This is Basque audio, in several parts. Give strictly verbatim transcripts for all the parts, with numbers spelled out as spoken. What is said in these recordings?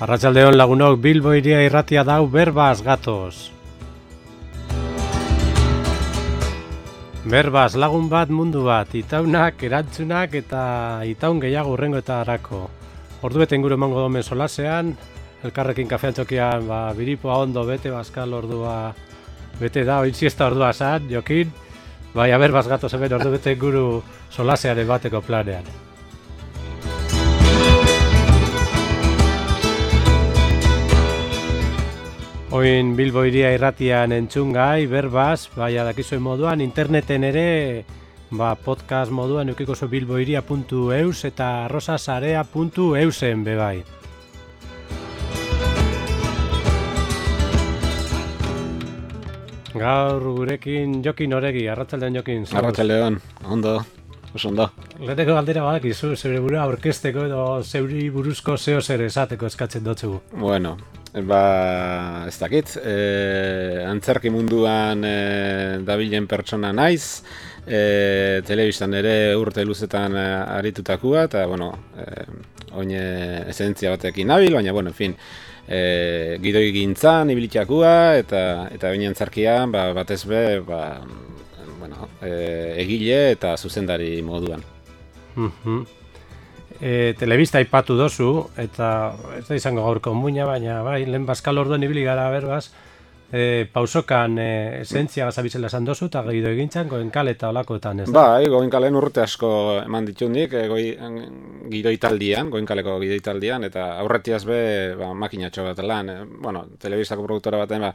Arratsaldeon lagunok, Bilbo Hiria irratia dau berbaz gatoz. Berbaz lagun bat mundu bat, itaunak, erantzunak eta itaun gehiago urrengoetarako. Ordu bete inguru emango domen solasean, elkarrekin kafean txokian, ba, biripoa ondo bete, bazkal ordua bete da, oin siesta ordua zan, jokin, bai, berbaz gatoz hemen ordu bete inguru solasearen bateko planean. Oin Bilbo Hiria irratian entzungai, berbaz, bai adakizuen moduan, interneten ere, ba, podcast moduan eukiko zu bilbohiria puntu eus eta arrosasarea puntu eusen bebai. Gaur gurekin Jokin Oregi, arratsaldeon Jokin. Arratsaldeon, ondo, oso ondo. Leheneko galdera badakizu, zeure burua aurkezteko edo zeuri buruzko zeo zer esateko eskatzen dotzugu. Bueno, ba, ez dakit, e, antzerki munduan e, dabilen pertsona naiz, e, telebistan ere urte luzetan e, aritutakoa, eta, bueno, e, oin esentzia batekin nabil, baina, bueno, en fin, e, gidoi gintzan ibilitakoa, eta eta oin antzerkian, ba, batez be, ba, bueno, e, egile eta zuzendari moduan. Mhm. E, telebista aipatu dozu, eta ez da izango gaurko muina, baina bai, lehen bazkal orduan ibili gara berbaz, e, pausokan e, esentzia gazabitzela esan dozu, eta gaido egintzan, goenkal eta olakoetan, ez da? Bai, goenkalen urte asko eman ditundik, e, goi, gidoitaldian, goenkaleko gidoitaldian, eta aurretiaz be, ba, makinatxo bat lan, e, bueno, telebistako produktora baten, ba,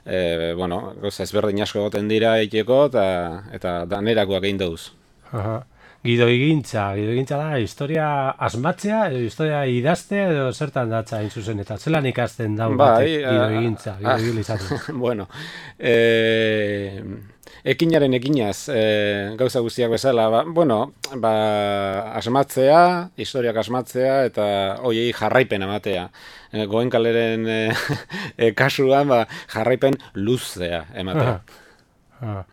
e, bueno, goza ezberdin asko goten dira eiteko, eta, eta danerakoak egin dauz. Aha. Gidoigintza, gidoigintza da, historia asmatzea, edo historia idaztea, edo zertan datza hain zuzen, eta zelan ikasten daun batek gidoigintza, gidoigil izaten. Bueno, e, ekinaren ekinaz, e, gauza guztiak bezala, ba, bueno, ba, asmatzea, historiak asmatzea, eta hoiei jarraipen ematea. E, goenkaleren e, e, kasuan, ba, jarraipen luzea ematea. Aha.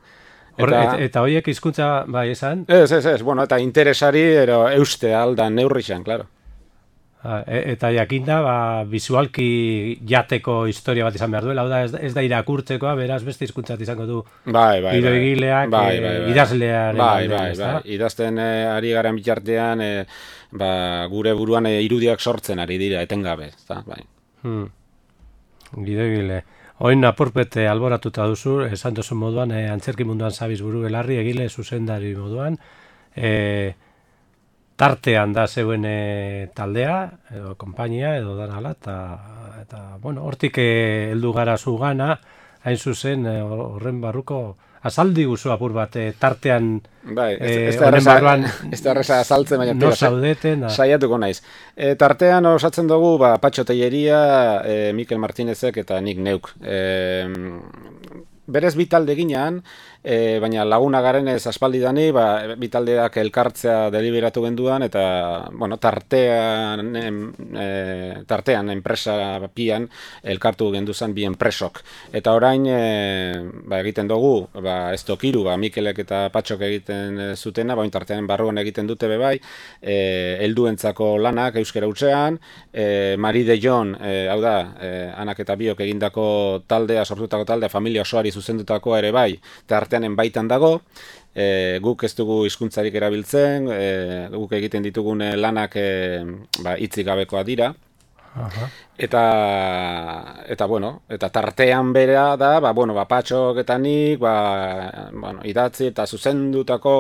Eta, eta, eta horiek hizkuntza bai esan? Ez, ez, ez, bueno, eta interesari ero euste aldan neurrixan, claro. E, eta jakinda, ba, visualki jateko historia bat izan behar duela, hau da, ez, ez da irakurtzekoa, beraz beste hizkuntzat izango du bai, bai, gidoigileak, bai, bai, bai, idazlearen bai, alde, bai, bai, bai. Idazten e, ari garen bitartean, e, ba, gure buruan e, irudiak sortzen ari dira, etengabe, ezta, bai. Hmm. Gidoigile. Oin apurpete alboratuta duzu, esan duzu moduan, e, antzerki munduan zabiz buru belarri, egile zuzendari moduan, e, tartean da zeuen e, taldea, edo konpainia, edo danala, eta, eta bueno, hortik heldu gara zu gana, hain zuzen, horren e, barruko, azaldi guzu apur bat, e, tartean, bai, ez, e, ez da horren barruan, ez da erreza azaltzen, baina no zaudeten, saiatuko naiz. E, tartean osatzen dugu, ba, Patxo Telleria, e, Mikel Martinezek eta nik neuk. E, berez bi talde ginean, e, baina laguna garen ez aspaldi dani, ba, bi taldeak elkartzea deliberatu genduan, eta, bueno, tartean, em, e, tartean enpresa pian elkartu genduzan bi enpresok. Eta orain, e, ba, egiten dugu, ba, ez tokiru, ba, Mikelek eta Patxok egiten zutena, ba, tartean barruan egiten dute bebai, e, helduentzako lanak euskera hutsean, e, Mari de Jon, e, hau da, e, anak eta biok egindako taldea, sortutako taldea, familia osoari zuzendutako ere bai, eta arteanen baitan dago, e, guk ez dugu hizkuntzarik erabiltzen, e, guk egiten ditugun lanak e, ba, hitzik gabekoa dira. Aha. Eta, eta, bueno, eta tartean bera da, ba, bueno, ba, Patxok eta nik, ba, bueno, idatzi eta zuzendutako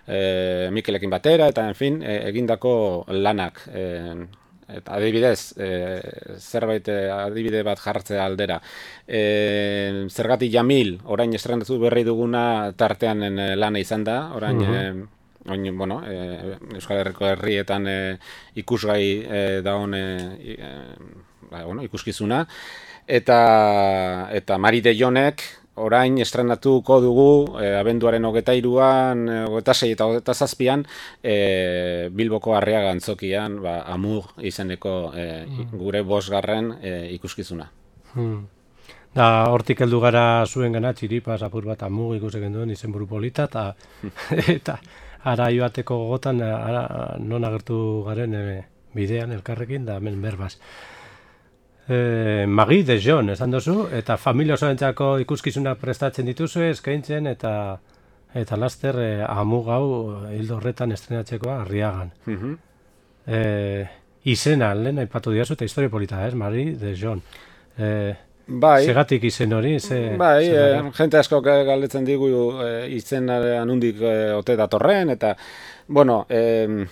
e, Mikelekin batera, eta, en fin, e, egindako lanak. E, Eta adibidez, e, zerbait e, adibide bat jartzea aldera. E, Zergatik Jamil, orain estrenatu berri duguna tartean lana izan da, orain, uh-huh. e, oin, bueno, e, Euskal Herriko herrietan e, ikusgai e, daun e, e, ba, bueno, ikuskizuna. Eta, eta Mari de Jonek, orain estrenatuko dugu e, abenduaren hogeta hiruan, hogeta sei eta hogeta zazpian e, Bilboko Arriaga antzokian, ba, Amur izeneko e, gure bosgarren e, ikuskizuna. Hmm. Da, hortik heldu gara zuen gana, txiripaz apur bat Amur ikusten duen izenburu polita, eta, eta ara joateko gogotan, ara, non agertu garen e, bidean elkarrekin, da hemen berbaz. E, Marie de Jon, esan duzu, eta familia osoentzako ikuskizunak prestatzen dituzu, eskaintzen, eta eta laster e, amugau hildo horretan estrenatzekoa Arriagan. Mhm. E, izena, lehen aipatu diazu, eta historia polita, ez, Marie de Jon. E, Bai. Segatik izen hori, ze... Bai, e, jente asko galdetzen digu e, izenaren hundik e, ote datorren, eta, bueno, e,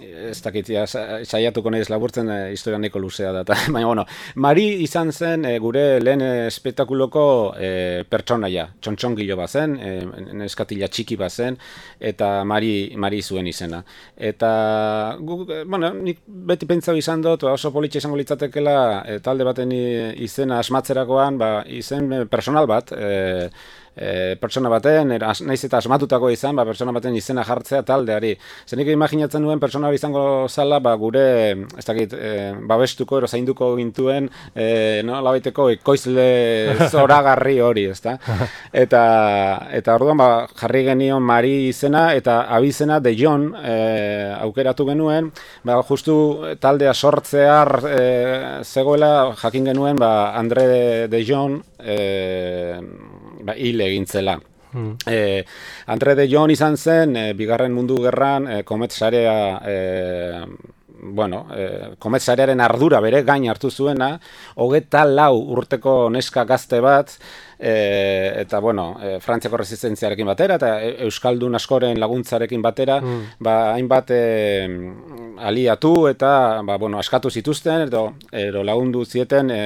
ez dakit, ja, saiatuko nahiz laburtzen e, historia nahiko luzea da. Baina, bueno, Mari izan zen e, gure lehen espektakuloko e, pertsonaia, txontxongilo bazen, e, neskatila txiki bazen, eta Mari, Mari zuen izena. Eta, gu, bueno, nik beti pentsau izan dut, oso politxe izango litzatekela e, talde baten izena asmatzerakoan, ba, izen personal bat, e, E, pertsona baten, er, as, naiz eta asmatutako izan, ba, pertsona baten izena jartzea taldeari. Zenik imaginatzen duen pertsona hori izango zala, ba, gure, ez dakit, e, babestuko, ero zainduko gintuen, e, no, labaiteko ekoizle zoragarri hori, ezta? Eta, eta orduan, ba, jarri genion Mari izena, eta abizena de Jon e, aukeratu genuen, ba, justu taldea sortzear e, zegoela, jakin genuen, ba, Andre de, de Jon, e, ba, hil egintzela. Hmm. E, Andre de Jon izan zen, e, bigarren mundu gerran, e, komet sarea, e, bueno, e, komet sarearen ardura bere gain hartu zuena, hogeta lau urteko neska gazte bat, e, eta, bueno, e, Frantziako resistentziarekin batera, eta Euskaldun askoren laguntzarekin batera, hmm. ba, hainbat e, aliatu eta, ba, bueno, askatu zituzten, edo, edo lagundu zieten e,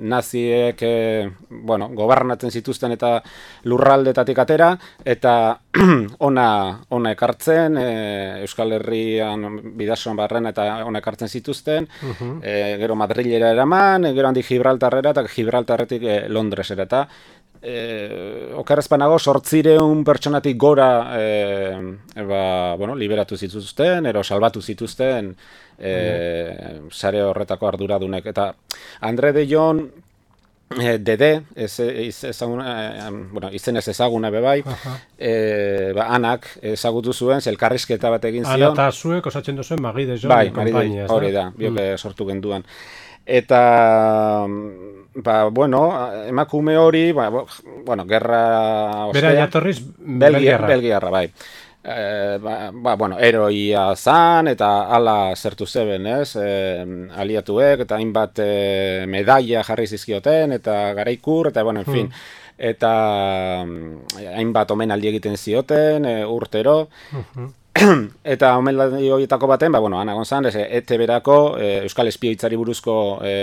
naziek, e, bueno, gobernatzen zituzten eta lurraldetatik atera, eta ona, ona ekartzen, e, Euskal Herrian bidasoan barren eta ona ekartzen zituzten, uh-huh. e, gero Madrilera eraman, e, gero handik Gibraltarrera, eta Gibraltarretik e, Londresera, eta E, okerrezpanago sortzireun pertsonatik gora e, e, ba, bueno, liberatu zituzten, ero salbatu zituzten e, mm. sare horretako arduradunek. Eta Andre de Jon e, Dede, ez, ez, ezaguna, e, bueno, izen ez ezaguna bebai, e, ba, anak ezagutu zuen, elkarrizketa bat egin zion. Ana eta zuek osatzen duzuen Marie de Jon bai, konpainia. Hori da, bioke mm. sortu genduan. Eta, ba, bueno, emakume hori, ba, bueno, gerra... Bera jatorriz Belgiarra. Belgiarra, bai. E, ba, ba, bueno, heroia zan, eta ala zertu zeben, ez? E, aliatuek, eta hainbat e, medaia jarri zizkioten, eta garaikur, eta, bueno, en fin. Hmm. Eta hainbat omenaldi egiten zioten, e, urtero. Uh-huh. Eta omenaldi horietako baten, ba, bueno, Ana González, E T B-erako e, Euskal Espioitzari buruzko e,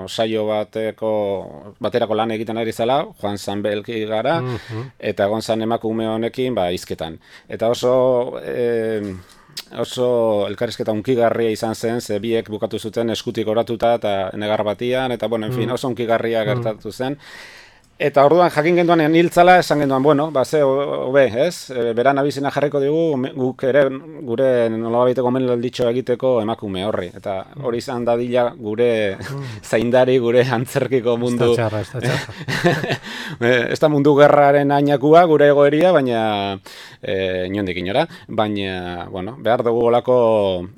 saio bateko, baterako lan egiten ari zela, Juan Sanbelki gara, uh-huh. eta Gonzan emakume honekin, ba, hizketan. Eta oso... E, oso elkarrizketa unkigarria izan zen, ze biek bukatu zuten eskutik oratuta eta negar batian, eta, bueno, en fin, oso unkigarria gertatu zen. Eta orduan jakin genduan hiltzala, esan genduan, bueno, ba, ze, hobe, ez? E, beran abizena jarriko digu, guk ere, gure nolabiteko omenalditxo egiteko emakume horri. Eta hori izan dadila gure zaindari, gure antzerkiko mundu... Ez da txarra, ez da txarra. Ez da mundu gerraren ainakua, gure egoeria, baina e, inondik inora. Baina, bueno, behar dugu olako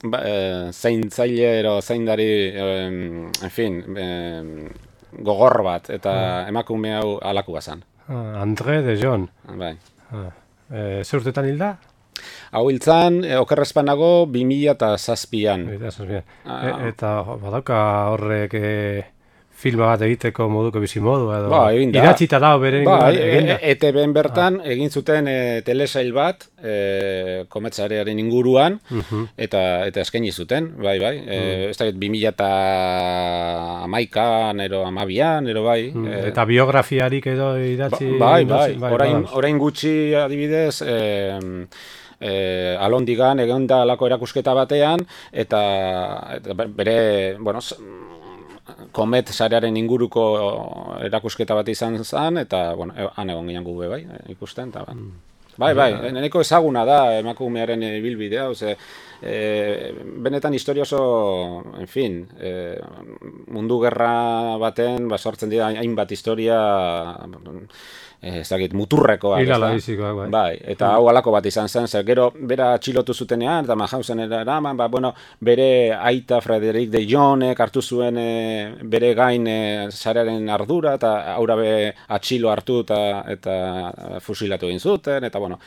ba, e, zaintzaile ero zaindari, e, en fin... E, gogor bat, eta ah. emakume hau alaku bazan. Ah, Andre de Jon. Bai. Ah. E, ze urtetan hilda? Hau hiltzan, e, okerrezpanago, bi mila eta zazpian. Ah. E, eta badauka horrek e, filma bat egiteko moduko bizimodu, edo ba, idatzita dago bere ba, e, E T B-en bertan ah. egin zuten e, telesail bat e, kometsarearen inguruan, uh-huh. eta eta eskaini zuten, bai, bai. E, uh-huh. Ez da, bi mila eta hamaikan, ero amabian, ero bai. Uh-huh. E, eta biografiarik edo idatzi... Ba, bai, bai, bai, orain, orain gutxi adibidez... E, E, alondigan egon da alako erakusketa batean, eta, eta bere, bueno, komet sarearen inguruko erakusketa bat izan zen, eta, bueno, han egon ginen gube bai, ikusten, eta, ba. Bai, bai, neneko ezaguna da emakumearen ibilbidea, oze, e, benetan historia oso, en fin, e, mundu gerra baten, ba, sortzen dira hainbat historia, e, ez dakit, muturrekoak, Hilala bizikoak, bai. Bai, eta hau alako bat izan zen, zer, gero bera atxilotu zutenean, eta Mauthausen eraman, ba, bueno, bere aita Frederic de Jonek hartu zuen e, bere gain e, sarearen ardura, eta aura be atxilo hartu eta, eta fusilatu egin zuten, eta bueno,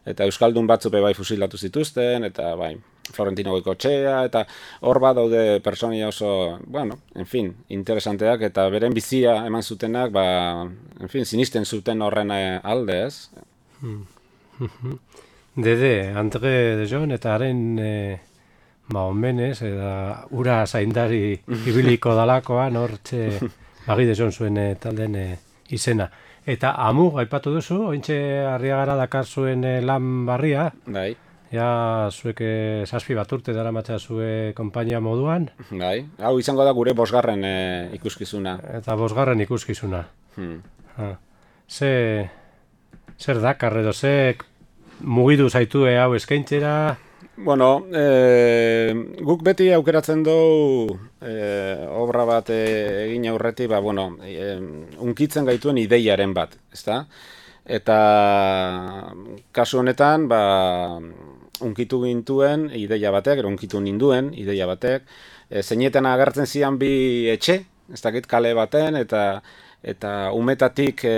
eta Euskaldun batzupe bai fusilatu zituzten, eta bai, Florentino Goikotxea, eta hor bat daude pertsonia oso, bueno, en fin, interesanteak, eta beren bizia eman zutenak, ba, en fin, sinisten zuten horren alde, ez? Hmm. Dede, Andre de Jon, eta haren e, ba, omenez, eta ura zaindari ibiliko dalakoan, hor txe, Bagi de Jon zuen e, talden e, izena. Eta amu, aipatu duzu, ointxe Arriagara dakar zuen e, lan barria. Bai. Ja, zuek zazpi bat urte dara matza zue konpainia moduan. Bai, hau izango da gure bosgarren e, ikuskizuna. Eta bosgarren ikuskizuna. Hmm. Ha. Ze, zer dakar edo, ze mugidu zaitue hau eskaintzera? Bueno, e, guk beti aukeratzen dugu e, obra bat e, egin aurretik, ba, bueno, e, unkitzen gaituen ideiaren bat, ezta? Eta kasu honetan, ba, unkitu gintuen ideia batek, ero unkitu ninduen ideia batek, e, zeinetan agertzen zian bi etxe, ez dakit kale baten, eta eta umetatik e,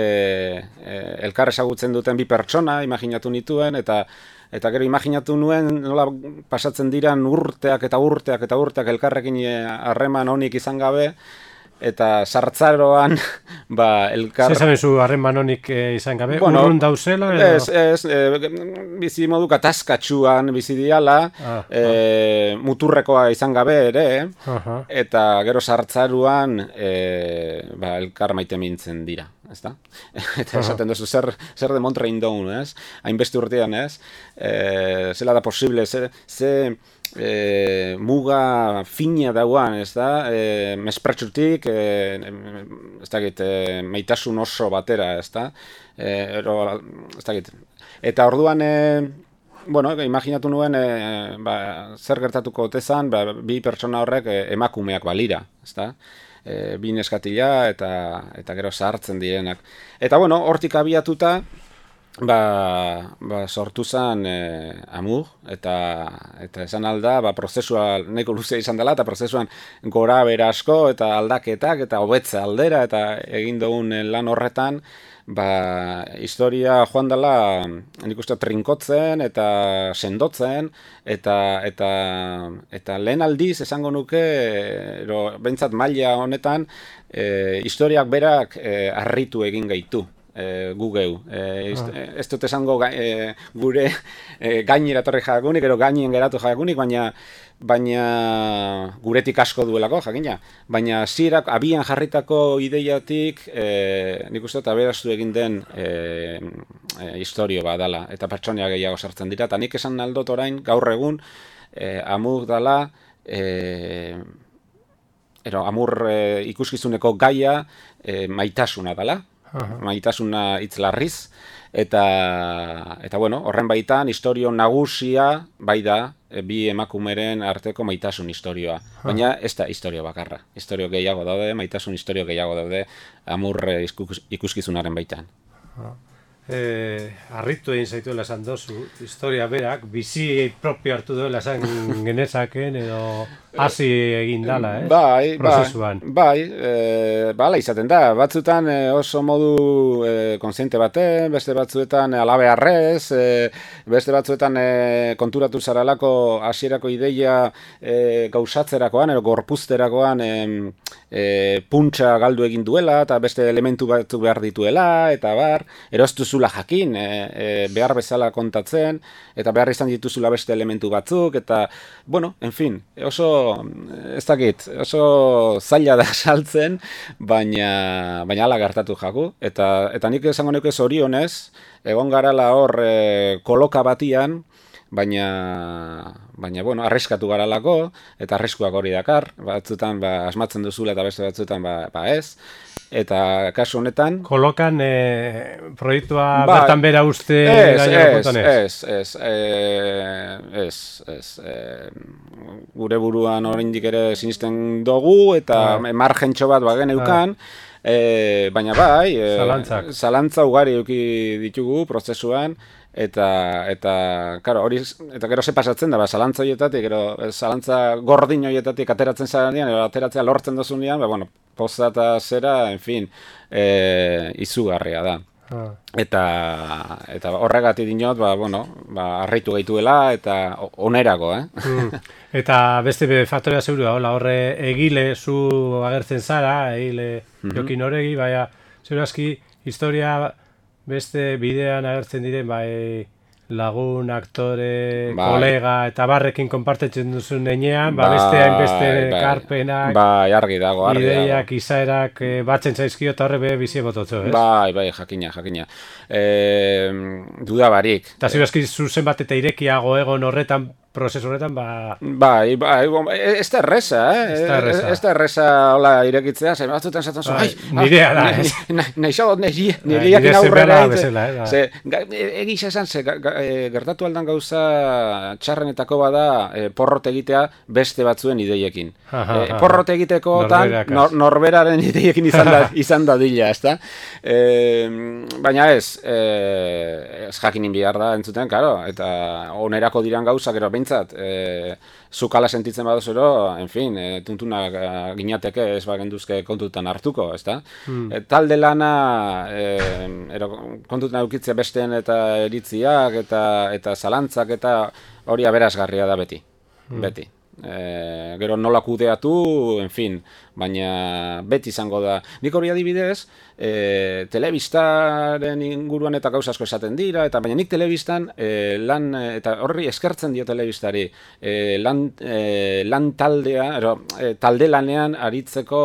e, elkar ezagutzen duten bi pertsona imaginatu nituen, eta eta gero imaginatu nuen nola pasatzen diran urteak eta urteak eta urteak elkarrekin harreman onik izan gabe, eta sartzaroan ba elkar Zer zabezu harreman honik e, izan gabe, bueno, urrun dauzela edo? Ez, ez, e, bizi modu katazkatxuan bizi diala, ah, e, ah. muturrekoa izan gabe ere, aha. Eta gero sartzaruan e, ba, elkar maite mintzen dira, ezta? Eta esaten duzu, zer, zer de Montre indoun, ez? Hainbeste urtean, ez? E, zela da posible, ze... ze E, muga fina dauan, ez da, e, mespretsutik, e, ez dakit, e, maitasun oso batera, ez da, e, ero, ez dakit. Eta orduan, e, bueno, imaginatu nuen, e, ba, zer gertatuko otezan, ba, bi pertsona horrek e, emakumeak balira, ez da, e, bi neskatila eta, eta gero zahartzen direnak. Eta, bueno, hortik abiatuta, Ba, ba sortu zen e, amur, eta, eta esan alda, ba, prozesua nahiko luzea izan dela, eta prozesuan gora bera asko, eta aldaketak, eta hobetze aldera, eta egin dugun lan horretan, ba, historia joan dela, nik uste trinkotzen, eta sendotzen, eta, eta, eta lehen aldiz esango nuke, ero, behintzat maila honetan, e, historiak berak e, harritu egin gaitu. E, gu geu. E, ah. Ez dut esango e, gure e, gainera torri jakunik, ero gainien geratu jakunik, baina, baina guretik asko duelako, jakina. Baina zirak abian jarritako ideiatik, e, nik uste eta beraztu egin den e, e, historio bat dala, eta pertsonia gehiago sartzen dira. Eta nik esan aldot orain, gaur egun, e, amur dala, e, ero, amur e, ikuskizuneko gaia e, maitasuna dala. Aha. Maitasuna hitz larriz, eta, eta bueno, horren baitan historio nagusia bai da e, bi emakumeren arteko maitasun historioa. Aha. Baina ez da historio bakarra. Historio gehiago daude, maitasun historio gehiago daude amur e, ikuskizunaren baitan. Aha. Eh, harritu egin zaituela esan dozu, historia berak, bizi propio hartu duela esan genezaken edo hasi egin dala, eh? Bai, prozesuan. Bai, bai e, bala izaten da, batzutan e, oso modu e, konsiente baten, beste batzuetan alabearrez, e, beste batzuetan e, konturatu zaralako hasierako ideia e, gauzatzerakoan, edo gorpuzterakoan e, e, puntxa galdu egin duela, eta beste elementu batzuk behar dituela, eta bar, eroztu zula jakin, e, e, behar bezala kontatzen, eta behar izan dituzula beste elementu batzuk, eta, bueno, en fin, oso, ez dakit, oso zaila da saltzen, baina, baina ala gertatu jaku, eta, eta nik esango nuke zorionez, egon garala hor e, koloka batian, baina, baina bueno, arriskatu garalako, eta arriskuak hori dakar, batzutan ba, asmatzen duzula eta beste batzutan ba, ba ez, eta kasu honetan... Kolokan e, proiektua ba, bertan bera uste... Ez, ez, ez, ez, ez, ez, ez, gure buruan oraindik ere sinisten dugu, eta ah. margentxo bat bagen eukan, ah. E, baina bai, e, zalantza ugari eduki ditugu prozesuan, eta, eta, karo, hori, eta gero ze pasatzen da, ba, zalantza horietatik, gero, zalantza gordin horietatik ateratzen zarenean, edo ateratzea lortzen dozunean, ba, bueno, poza eta zera, en fin, e, izugarria da. Ah. Eta, eta horregatik dinot, ba, bueno, ba, arreitu gaituela, eta onerako, eh? Mm. Eta beste faktorea zeurua, hola, horre egile zu agertzen zara, egile mm-hmm. Jokin Oregi, baina zeurazki historia beste bidean agertzen diren, bai lagun, aktore, bai. Kolega, eta barrekin konpartetzen duzun nenean, ba, beste hainbeste bai. Karpenak, bai, argi dago, argi ideiak, dago. Izaerak e, batzen zaizkio, eta horre be bizie bototzo, ez? Bai, bai, jakina, jakina. E, duda barik. Eta zeurazki zuzen bat eta irekiago egon horretan, prozesu horretan, ba... Bai, bai, ez da erresa, eh? Ez da erresa, hola, irekitzea, zen batzutan zaten zu, ai, nirea da, ez? Nahi xagot, nireak inaurrera, egisa esan, ze, gertatu aldan gauza txarrenetako bada porrot egitea beste batzuen ideiekin. Porrot egiteko norberaren ideiekin izan da dila, ez da? Baina ez, ez jakinin bihar da entzuten, karo, eta onerako diran gauza, gero behintzat, zukala sentitzen badozero, en fin, tuntuna ginateke ez bagenduzke kontutan hartuko, ez da? Talde lana kontutan eukitzea besteen eta eritziak eta zalantzak eta hori aberasgarria da beti, beti. E, gero nola kudeatu, en fin, baina beti izango da. Nik hori adibidez, e, telebistaren inguruan eta gauza asko esaten dira, eta baina nik telebistan e, lan, eta horri eskertzen dio telebistari, e, lan, e, lan taldea, ero, e, talde lanean aritzeko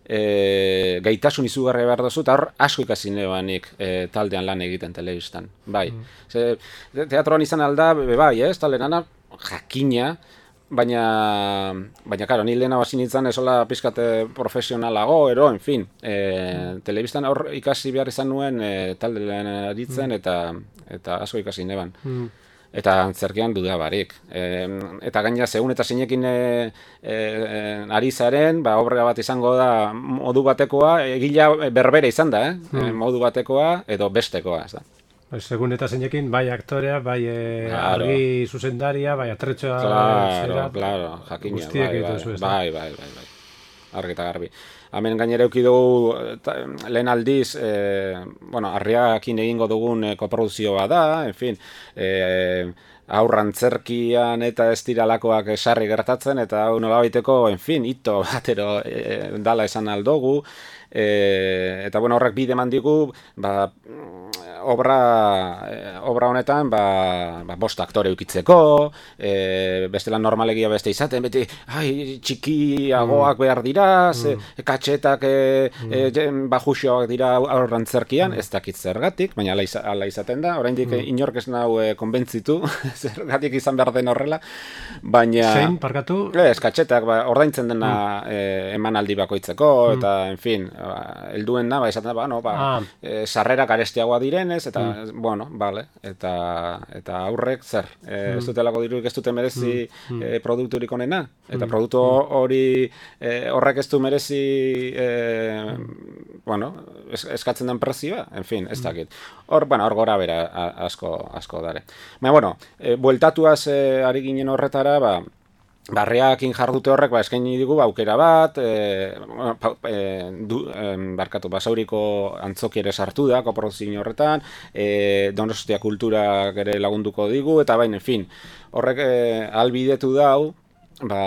e, gaitasun izugarri behar dozu, eta hor asko ikasi nebanik e, taldean lan egiten telebistan, bai. Mm. Ze, teatroan izan alda, bai, ez, taldean jakina, Baina, baina, karo, ni lehena basi nintzen esola pizkate profesionalago, ero, en fin, e, mm. telebistan hor ikasi behar izan nuen e, talde lehen aritzen, mm. eta, eta asko ikasi neban. Mm. Eta antzerkian duda barik. E, eta gaina, segun eta zinekin e, e, ari zaren, ba, obra bat izango da modu batekoa, egila berbere izan da, eh? Mm. Modu batekoa edo bestekoa, ez da. Segun eta zeinekin, bai aktorea, bai e, claro. Argi zuzendaria, bai atretxoa... Claro, zera, claro, jakina, bai, bai, bai, bai, bai, bai, argi eta garbi. Hemen gainera euki dugu, lehen aldiz, e, bueno, Arriakin egingo dugun e, koproduzioa da, en fin, e, aurrantzerkian eta ez diralakoak sarri gertatzen, eta hau nola baiteko, en fin, ito batero e, dala esan aldogu, e, eta bueno, horrek bide mandigu, ba... Obra, obra honetan ba, ba, bost aktore eukitzeko, e, bestela normalegia beste izaten, beti ai, txikiagoak mm. behar dira, ze, mm. katxetak e, mm. e, bajuxoak dira aurrantzerkian, mm. ez dakit zergatik, baina ala, iza, ala izaten da, oraindik mm. inork ez nau e, konbentzitu, zergatik izan behar den horrela, baina... Zein, parkatu? Ez, katxetak, ba, ordaintzen dena mm. e, emanaldi bakoitzeko, mm. eta, en fin, ba, helduen da, ba, izaten da, ba, no, ba, ah. e, sarrerak arestiagoa diren, eta, mm. bueno, vale, eta, eta aurrek, zer, e, mm. ez dutelako dirurik ez dute merezi mm. e, produkturik onena, eta mm. produktu hori e, horrek ez du merezi, e, mm. bueno, es, eskatzen den prezioa, en fin, ez dakit. Hor, bueno, hor gora bera asko, asko dare. Baina, bueno, e, bueltatuaz e, ari ginen horretara, ba, Barreakin jardute horrek ba, eskaini digu aukera bat, e, e, du, e, barkatu, basauriko antzoki ere sartu da, koproduzio horretan, e, Donostia kulturak ere lagunduko digu, eta baina, en fin, horrek e, albidetu dau, ba,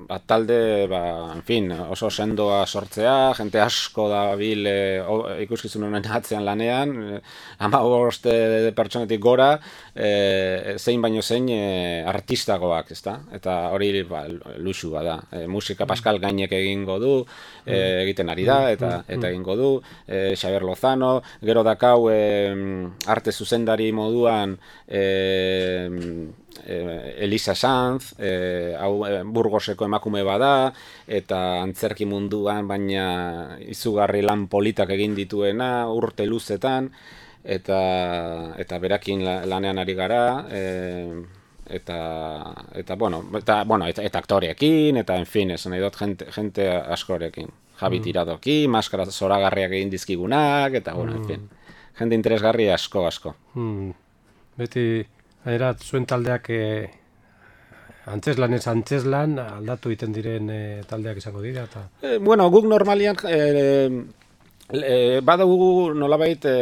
ba, talde, ba, en fin, oso sendoa sortzea, jente asko da bil e, ikuskizun honen atzean lanean, e, ama bost pertsonetik gora, e, zein baino zein e, artistagoak, ezta? Eta hori ba, luxua da. E, musika Pascal Gainek egingo du, e, egiten ari da, eta, eta egingo du, e, Xabier Lozano, gero dakau e, arte zuzendari moduan, e, Elisa Sanz, e, hau Burgoseko emakume bada, eta antzerki munduan, baina izugarri lan politak egin dituena, urte luzetan, eta, eta berakin lanean ari gara, e, eta, eta, bueno, eta, bueno, eta, eta aktoreekin, eta, en fin, esan nahi dut, jente, jente askorekin. Javi Tiradoki, maskara zoragarriak egin dizkigunak, eta, bueno, en fin, jende interesgarri asko, asko. Hmm. Beti... Era, zuen taldeak e, antzeslan ez antzeslan aldatu egiten diren e, taldeak izango dira eta... E, bueno, guk normalian e, e, badugu nolabait e,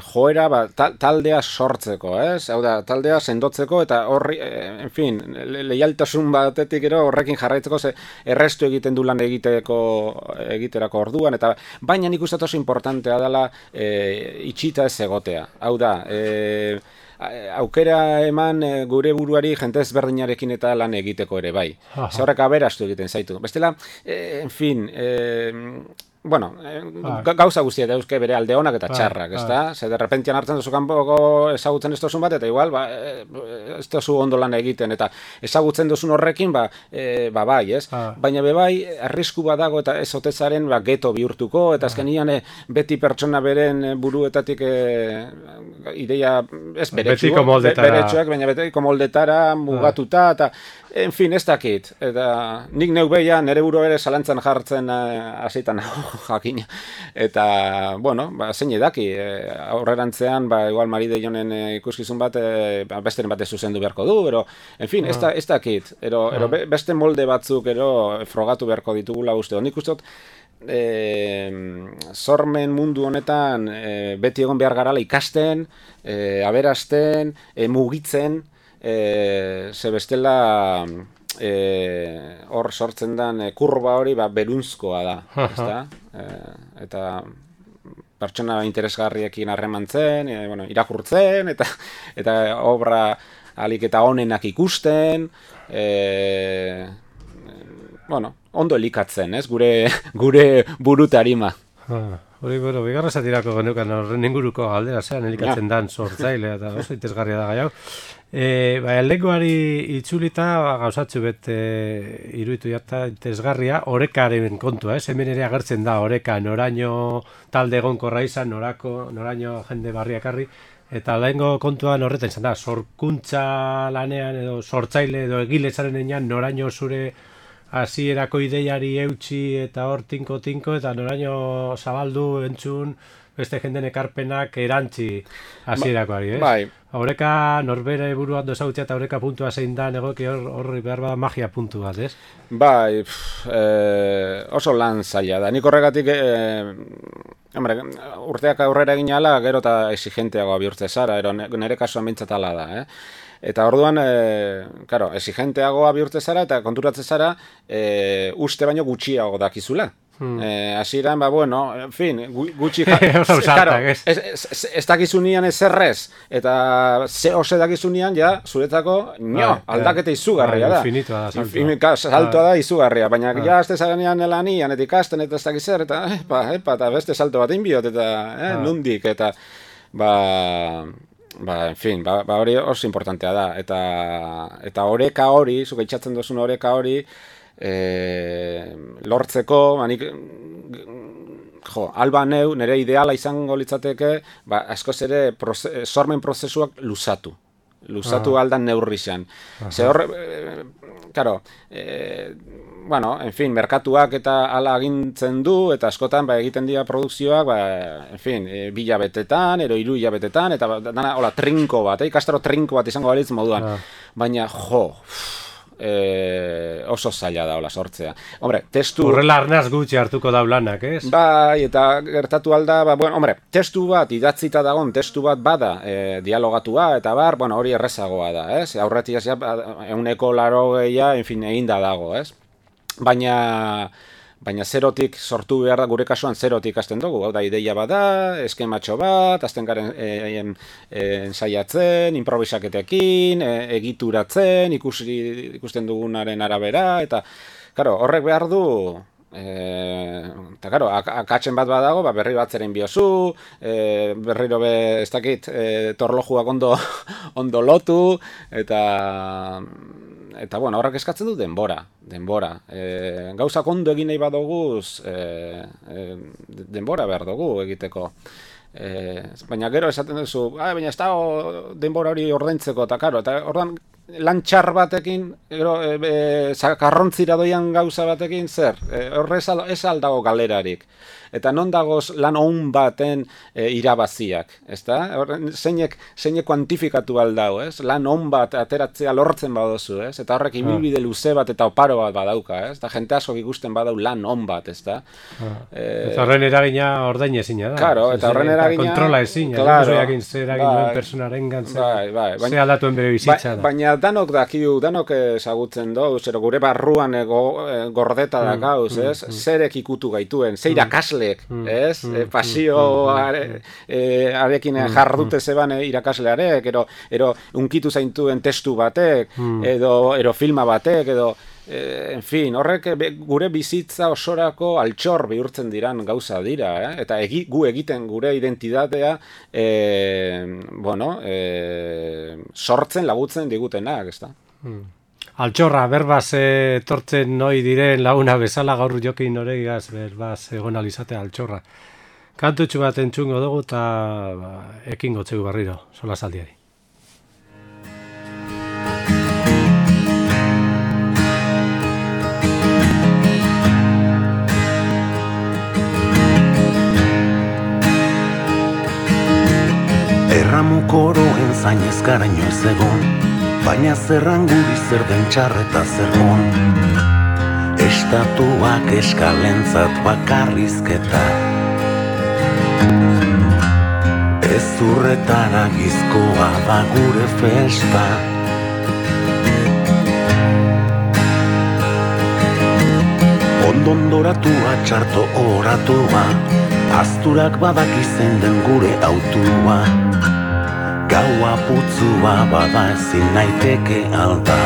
joera ba, ta, taldea sortzeko, ez? Hau da, taldea sendotzeko eta horri, e, en fin, le, leialtasun batetik ero horrekin jarraitzeko ze errestu egiten du lan egiteko egiterako orduan, eta baina nik uste oso importantea dela e, itxita ez egotea. Hau da, e, aukera eman gure buruari jente ezberdinarekin eta lan egiteko ere bai. Horrek aberastu egiten zaitu. Bestela, en fin, eh, bueno, ah. gauza guztia dauzke bere alde onak eta txarrak, ezta? Ah. Ze derrepentian hartzen duzu kanpoko ezagutzen ez duzun bat, eta igual, ba, ez duzu ondo lan egiten, eta ezagutzen duzun horrekin, ba, e, ba bai, ez? Ah. Baina be bai, arrisku badago eta ez otezaren ba, geto bihurtuko, eta azkenian e, beti pertsona beren buruetatik e, ideia, ez beretsuak, beretsuak, baina betiko moldetara mugatuta, eta en fin, ez dakit, eta nik neu beia nere buru ere zalantzan jartzen hasietan jakina, eta, bueno, ba, zein edaki, e, aurrerantzean, ba, igual Maride Jonen e, ikuskizun bat, e, besteren bat ez zuzendu beharko du, ero, en fin, ez, da, ez dakit, ero, ero beste molde batzuk, ero, frogatu beharko ditugula uste, nik uste dut, e, sormen mundu honetan e, beti egon behar garala ikasten, e, aberasten, e, mugitzen, E, ze bestela e, hor sortzen den e, kurba hori ba, berunzkoa da, ezta? E, eta pertsona interesgarriekin harremantzen, e, bueno, irakurtzen, eta, eta obra alik eta onenak ikusten, e, bueno, ondo elikatzen, ez? Gure, gure burutarima. Hori, bueno, bigarra zatirako genukan horren inguruko galdera zean elikatzen ja. Dan sortzaile, eta oso interesgarria da gai hau. E, ba, lenguari itzulita ba, gauzatzu bet e, iruditu jarta interesgarria, orekaren kontua, ez? Hemen ere agertzen da oreka, noraino talde egonkorra izan, norako, noraino jende barriakarri, eta lehengo kontuan horretan izan da, sorkuntza lanean edo sortzaile edo egilezaren enean noraino zure hasierako ideiari eutxi eta hor tinko-tinko eta noraino zabaldu entzun beste jenden ekarpenak erantzi hasierakoari, ez? Bai. Horeka norbere buruan dozautzea eta horeka puntua zein da negoki horri behar bada magia puntu bat, ez? Bai, pff, e, oso lan zaila da. Nik horregatik, e, hombre, urteak aurrera egin ala, gero eta exigenteagoa bihurtze zara, ero nire kasuan bintzat ala da, eh? Eta orduan, e, claro, exigenteagoa bihurtze zara eta konturatze zara e, uste baino gutxiago dakizula. Hmm. Eh, hasieran, ba, bueno, en fin, gutxi claro, ez, ez, ez, ez dakizunian ez errez, eta ze ose dakizunian, ja, zuretzako, nio, aldaketa izugarria da. Infinitua da, saltoa. Infinitua saltoa da izugarria, baina ah. ja, azte zarenean elanian, eta ikasten, eta ez dakizer, eta, epa, epa, eta beste salto bat inbiot, eta, eh, ah. nundik, eta, ba... Ba, en fin, ba, ba hori oso importantea da, eta eta oreka hori, zuka itxatzen duzun oreka hori, e, lortzeko, manik, jo, alba neu, nire ideala izango litzateke, ba, askoz ere proze, sormen prozesuak luzatu. Luzatu ah. aldan neurrizan. Ze hor, e, karo, e, bueno, en fin, merkatuak eta ala agintzen du, eta askotan ba, egiten dira produkzioak, ba, en fin, e, bi hilabetetan, ero hiru hilabetetan, eta ba, dana, hola, trinko bat, eh? Ikastaro trinko bat izango balitz moduan. Ah. Baina, jo, e, oso zaila da, hola, sortzea. Hombre, testu... Horrela arnaz gutxi hartuko daulanak, ez? Bai, eta gertatu alda, ba, bueno, hombre, testu bat, idatzita dagon, testu bat bada, e, dialogatua, eta bar, bueno, hori errezagoa da, ez? Aurretiaz, ja, euneko laro gehia, en fin, egin da dago, ez? baina baina zerotik sortu behar da, gure kasuan zerotik hasten dugu, hau da, ideia bada, eskematxo bat, hasten garen e, e, e, ensaiatzen, improvisaketekin, e, egituratzen, ikusi, ikusten dugunaren arabera, eta, karo, horrek behar du, eta, karo, akatzen bat badago, ba, berri bat zeren biozu, e, berriro be, ez dakit, e, torlojuak ondo, ondo lotu, eta... Eta, bueno, horrek eskatzen du denbora, denbora. E, gauzak ondo egin nahi badoguz, e, e, denbora behar dugu egiteko. E, baina gero esaten duzu, ah, baina ez da denbora hori ordaintzeko, eta karo, eta ordan lan txar batekin, gero, e, e, karrontzira doian gauza batekin, zer? E, horre ez aldago galerarik. Eta non dagoz lan on baten e, irabaziak, ezta? Zeinek, zeinek kuantifikatu aldau, ez? Lan on bat ateratzea lortzen badozu, ez? Eta horrek ibilbide luze bat eta oparo bat badauka, ez? Eta jente asko ikusten badau lan on bat, ezta? E, eta horren eragina ordain ezina da. Claro, eta horren eragina... Kontrola ezina, claro, jakin zer eragin bai, duen personaren gantzen, bai, bai, bai, ze aldatuen bere bizitza da. Baina danok dakiu, danok ezagutzen do, zero gure barruan ego, e, gordeta da gauz, ez? Mm, mm, Zerek ikutu gaituen, ze irakasle Mm, ez? Mm, e, pasio mm, are, e, arekin mm, jardute zeban e, irakaslearek, ero, ero unkitu zaintuen testu batek, mm. edo, ero filma batek, edo, e, en fin, horrek be, gure bizitza osorako altxor bihurtzen diran gauza dira, eh? Eta egi, gu egiten gure identitatea, e, bueno, e, sortzen lagutzen digutenak, ez da? Mm. Altxorra, berbaz etortzen noi diren laguna bezala gaur jokin noregaz berbaz egon alizatea altxorra. Kantutxu bat entzungo dugu eta ba, ekin gotzegu berriro, sola saldiari. Erramukoroen zainez garaino ez egon, baina zerran guri zer den txarreta zer hon. Estatuak eskalentzat bakarrizketa, ez urretara gizkoa da gure festa. Ondondoratua txarto oratua, azturak badakizen den gure autua. Gaua putzua bada ezin naiteke alda,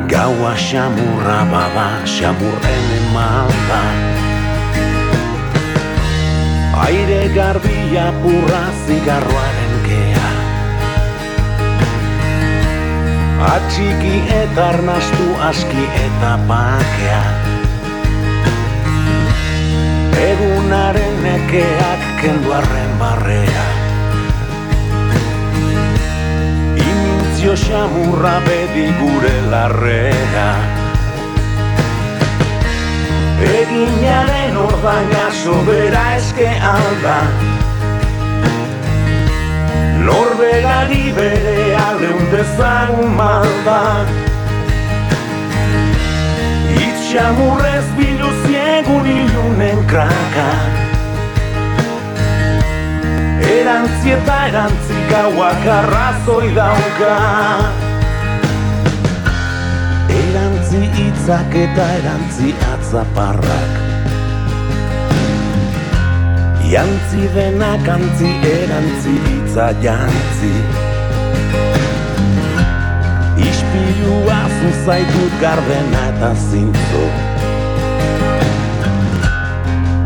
gaua xamurra bada xamurren emalda. Aire garbia purra zigarroaren kea, atxiki eta arnastu aski eta bakea. Egunaren nekeak kendu arren barrea, imintzio xamurra bedi gure larrea. Eginaren ordaina sobera eske alda, norberari bere aldeun dezagun malda. Itxamurrez biluziegun ilunen kraka, erantzi eta erantzi gauak arrazoi dauka. Erantzi hitzak eta erantzi atzaparrak, jantzi denak antzi erantzi hitza jantzi. Ispilua zuzaitut gardena eta zintzo,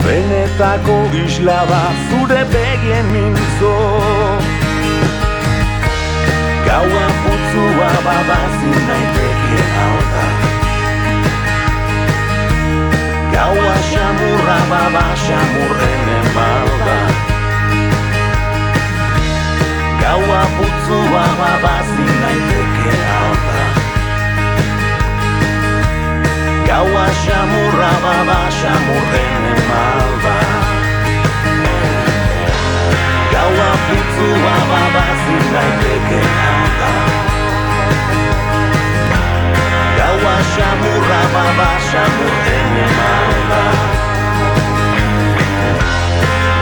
benetako isla da zure begien mintzo. Gaua putzua babazin naiteke alda, gaua xamurra baba xamurren emalda. Gaua putzua babazin naiteke alda, gaua xamurra baba xamurren emalda. Gaua putzua babazin naiteke alda, gaua xamurra baba xamurren emalda.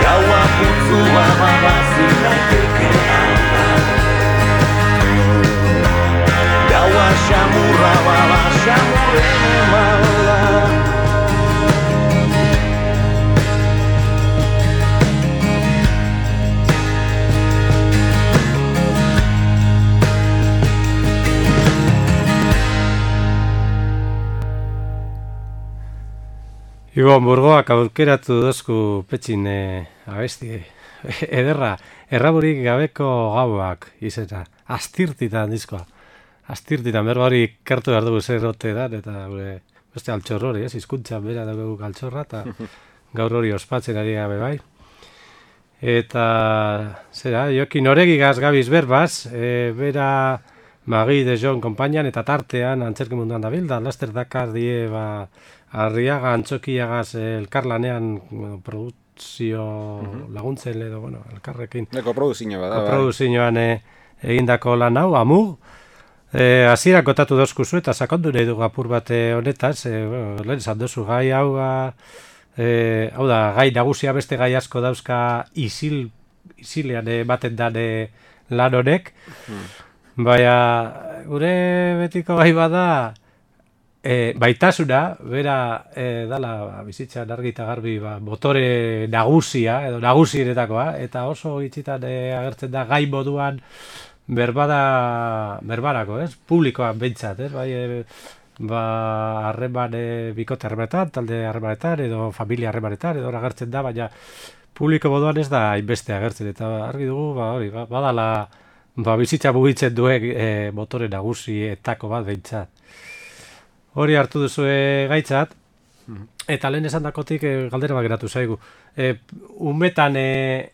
Gaua putzua babazin naiteke alda, gaua xamurra baba Ibon, burgoak aukeratu dozku petxin e, abesti ederra, erraburik gabeko gauak izena, astirtitan diskoa. Astirtitan, berba hori kartu behar dugu zer rote da, eta gure beste altxor hori, ez, izkuntza bera dugu altxorra, eta gaur hori ospatzen ari gabe bai. Eta, zera, jokin oregigaz gabiz berbaz, e, bera Magi de Jon konpainian eta tartean antzerki munduan dabil, da laster dakar die ba, Arriaga antzokiagaz elkarlanean bueno, produkzio uh-huh. laguntzen edo, bueno, elkarrekin. Eko produzioa bada. Produzioan e, egindako lan hau, amu. E, Azira kotatu dozkuzu eta sakondu nahi dugu apur bate honetaz, e, bueno, lehen esan dozu gai hau, e, hau da, gai nagusia beste gai asko dauzka isil, isilean e, baten dan e, lan honek. Hmm. Baina, gure betiko gai bada, e, baitasuna, bera e, dala bizitzan argi eta garbi ba, motore nagusia, edo nagusienetakoa, eta oso itxitan e, agertzen da gai moduan berbada, berbarako, ez? Publikoan behintzat, ez? Bai, e, ba, harreman e, bikote harremanetan, talde harremanetan, edo familia harremanetan, edo agertzen da, baina publiko moduan ez da hainbeste agertzen, eta argi dugu, ba, hori, ba, badala, ba, bizitza mugitzen duen e, motore nagusietako bat behintzat. Hori hartu duzue gaitzat, eta lehen esan dakotik e, galdera bat geratu zaigu. E, umetan e,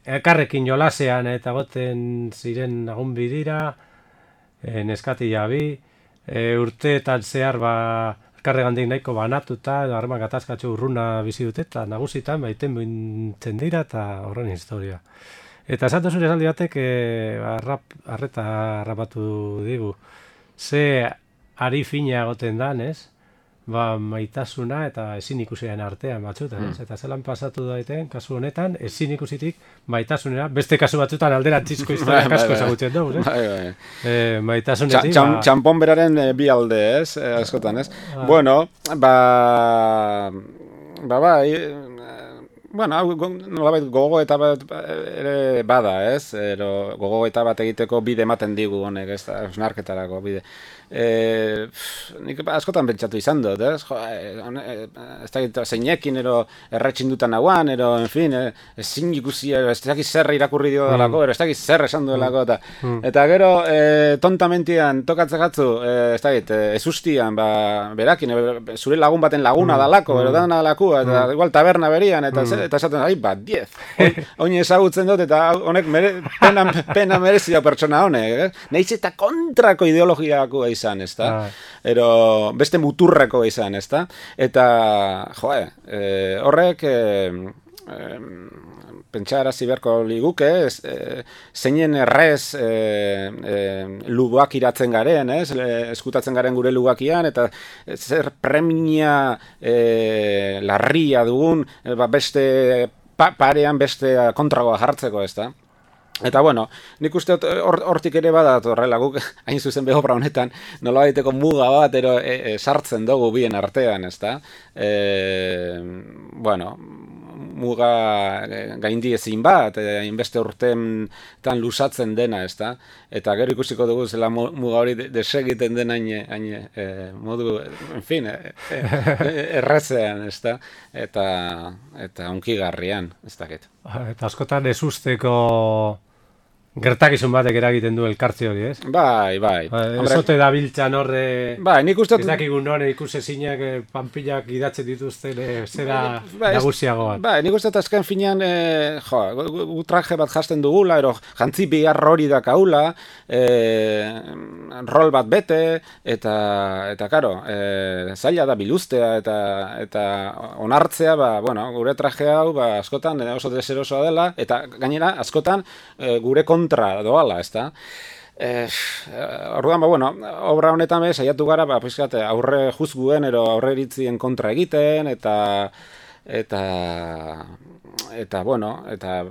elkarrekin jolasean eta goten ziren lagun bidira, e, neskati jabi, e, urteetan zehar ba, elkarregandik nahiko banatuta, edo harreman gatazkatxo urruna bizi dute, eta nagusitan baiten bintzen dira eta horren historia. Eta esan duzun esaldi batek e, arrap, arreta harrapatu digu. Ze ari fina egoten dan, ez? Ba, maitasuna eta ezin ikusiaren artean batzutan, ez? Eta zelan pasatu daiten, kasu honetan, ezin ikusitik maitasunera, beste kasu batzutan alderantzizko historiak asko ezagutzen dugu, ez? Bai, bai. E, maitasunetik, ba... Txampon beraren e, bi alde, ez? E, askotan, ez? Ah. Bueno, ba... Ba, ba... Bueno, nolabait gogo eta bat ere bada, ez? Ero, gogo eta bat egiteko bide ematen digu honek, ez da, osnarketarako bide. E, pff, nik askotan pentsatu izan dut, ez? Jo, e, ez da zeinekin, ero erretxin dutan nagoan, ero, en fin, e, ezin ikusi, ez da zer irakurri dio dalako, mm. ero ez da zer esan duelako, eta, mm. eta gero, e, tontamentian tokatzek atzu, e, ez da e, ez ustian, ba, berakin, e, zure lagun baten laguna mm. dalako, ero dana dalako, eta mm. igual taberna berian, eta mm. eta esaten, ai, bat, diez. Oin ezagutzen dut, eta honek mere, pena, pena merezio pertsona honek. Eh? Neiz eta kontrako ideologiako izan, ez da? Ah. Ero beste muturreko izan, ez da? Eta, joe, eh, horrek... Eh, eh, pentsarazi beharko liguke, ez, e, zeinen errez e, e, lugoak iratzen garen, ez, e, eskutatzen garen gure lugakian, eta zer premia e, larria dugun, e, ba, beste pa, parean beste kontragoa jartzeko, ez da. Eta bueno, nik uste hortik ere badat horrela, guk hain zuzen behobra honetan, nola baiteko muga bat ero e, e, sartzen dugu bien artean, ez da. E, bueno, muga gaindi ezin bat, hainbeste urtean lusatzen dena, ez da? Eta gero ikusiko dugu zela muga hori desegiten den hain, hain e, modu, en fin, e, e, errezean, ez da? Eta, eta onkigarrian, ez dakit. Eta askotan ez usteko gertakizun batek eragiten du elkartze hori, ez? Bai, bai. Ezote da biltzan horre... Bai, nik uste... Ezakigun nore ikusezinak, panpilak idatzen dituzten, zera nagusiago bat. Bai, nik uste azken finean, e, jo, gu traje bat jasten dugula, ero jantzi bihar hori dakaula, e, rol bat bete, eta, eta karo, e, zaila da biluztea, eta, eta onartzea, ba, bueno, gure traje hau, ba, askotan oso deserosoa dela, eta gainera, askotan, e, gure kontra doala, ez da? Eh, orduan, ba, bueno, obra honetan bez, saiatu gara, ba, pizkat, aurre juzguen, ero aurre iritzien kontra egiten, eta, eta, eta, bueno, eta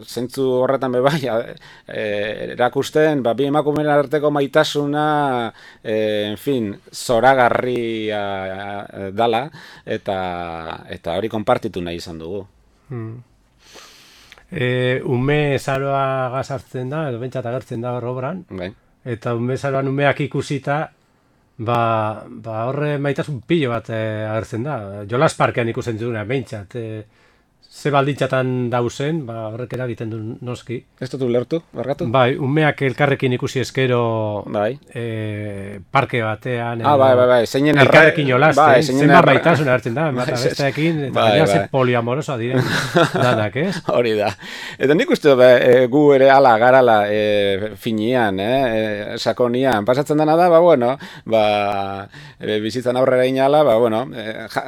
zentzu horretan be bai, e, erakusten, ba, bi emakumeen arteko maitasuna, e, en fin, zoragarria dala, eta, eta hori konpartitu nahi izan dugu. Hmm. E, ume zaroa gazartzen da, edo bentsat agertzen da hor obran, bai. Eta ume zaroan umeak ikusita, ba, ba horre maitasun pilo bat eh, agertzen da. Jolas Parkean ikusten duguna, behintzat. Eh, ze baldintzatan dauzen, ba, horrek eragiten du noski. Ez dut ulertu, barkatu? Bai, umeak elkarrekin ikusi eskero bai. E, parke batean. Ah, bai, bai, bai. Zeinen elkarrekin jolasten, bai, zenba erra... maitasun hartzen da, bai, besteekin, eta bai, bai. Ze poliamorosa diren danak, ez? Hori da. Eta nik uste be, e, gu ere ala garala e, finian, eh, e, sakonian. Pasatzen dena da, ba, bueno, ba, e, bizitzan aurrera inala, ba, bueno, e, ja,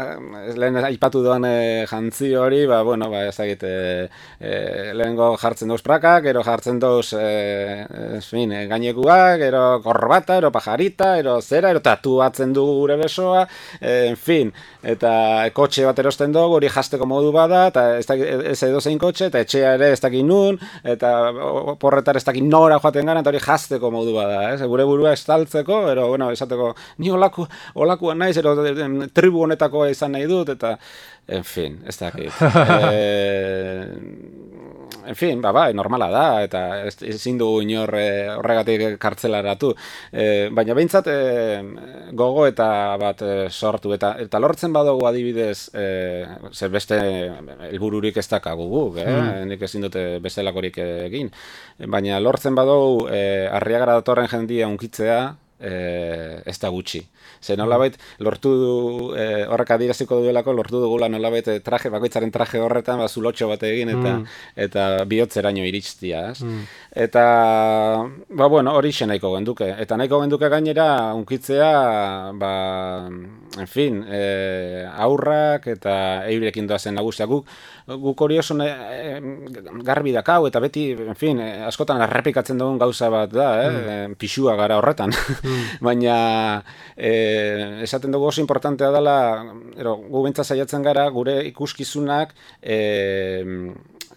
lehen aipatu doan e, jantzi hori, ba, bueno, bueno, ba, ez dakit, e, e, lehengo jartzen dauz prakak, ero jartzen dauz, e, en fin, e, gainekuak, ero korbata, ero pajarita, ero zera, ero tatuatzen du gure besoa, e, en fin, eta kotxe bat erosten dugu, hori jasteko modu bada, eta ez, dakit, ez edo zein kotxe, eta etxea ere ez dakit nun, eta porretar ez dakit nora joaten gara, eta hori jasteko modu bada, ez? Gure burua estaltzeko, ero, bueno, esateko, ni olaku, olakuan naiz, ero tribu honetakoa izan nahi dut, eta en fin, ez dakit. eh, en fin, ba, bai, normala da, eta ezin dugu inor eh, horregatik kartzelaratu. Eh, baina behintzat eh, gogo eta bat eh, sortu, eta, eta lortzen badugu adibidez, eh, zer beste helbururik ez dakagu guk, eh? Mm. Nik ezin dute bestelakorik egin. Baina lortzen badugu eh, Arriagara datorren jendia unkitzea, eh, ez da gutxi. Ze nolabait lortu du, e, horrek adieraziko duelako, lortu dugula nolabait traje, bakoitzaren traje horretan, ba, zulotxo bat egin, eta, mm. eta bihotzeraino iritztia. Mm. Eta, ba, bueno, hori xe nahiko genduke. Eta nahiko genduke gainera, unkitzea, ba, en fin, e, aurrak eta eurekin doazen nagusia. Guk, guk hori oso e, garbi dakau, eta beti, en fin, e, askotan errepikatzen dugun gauza bat da, eh? Mm. Pixua gara horretan. Mm. Baina, e, esaten dugu oso importantea dela, ero, gu bentsa saiatzen gara, gure ikuskizunak e,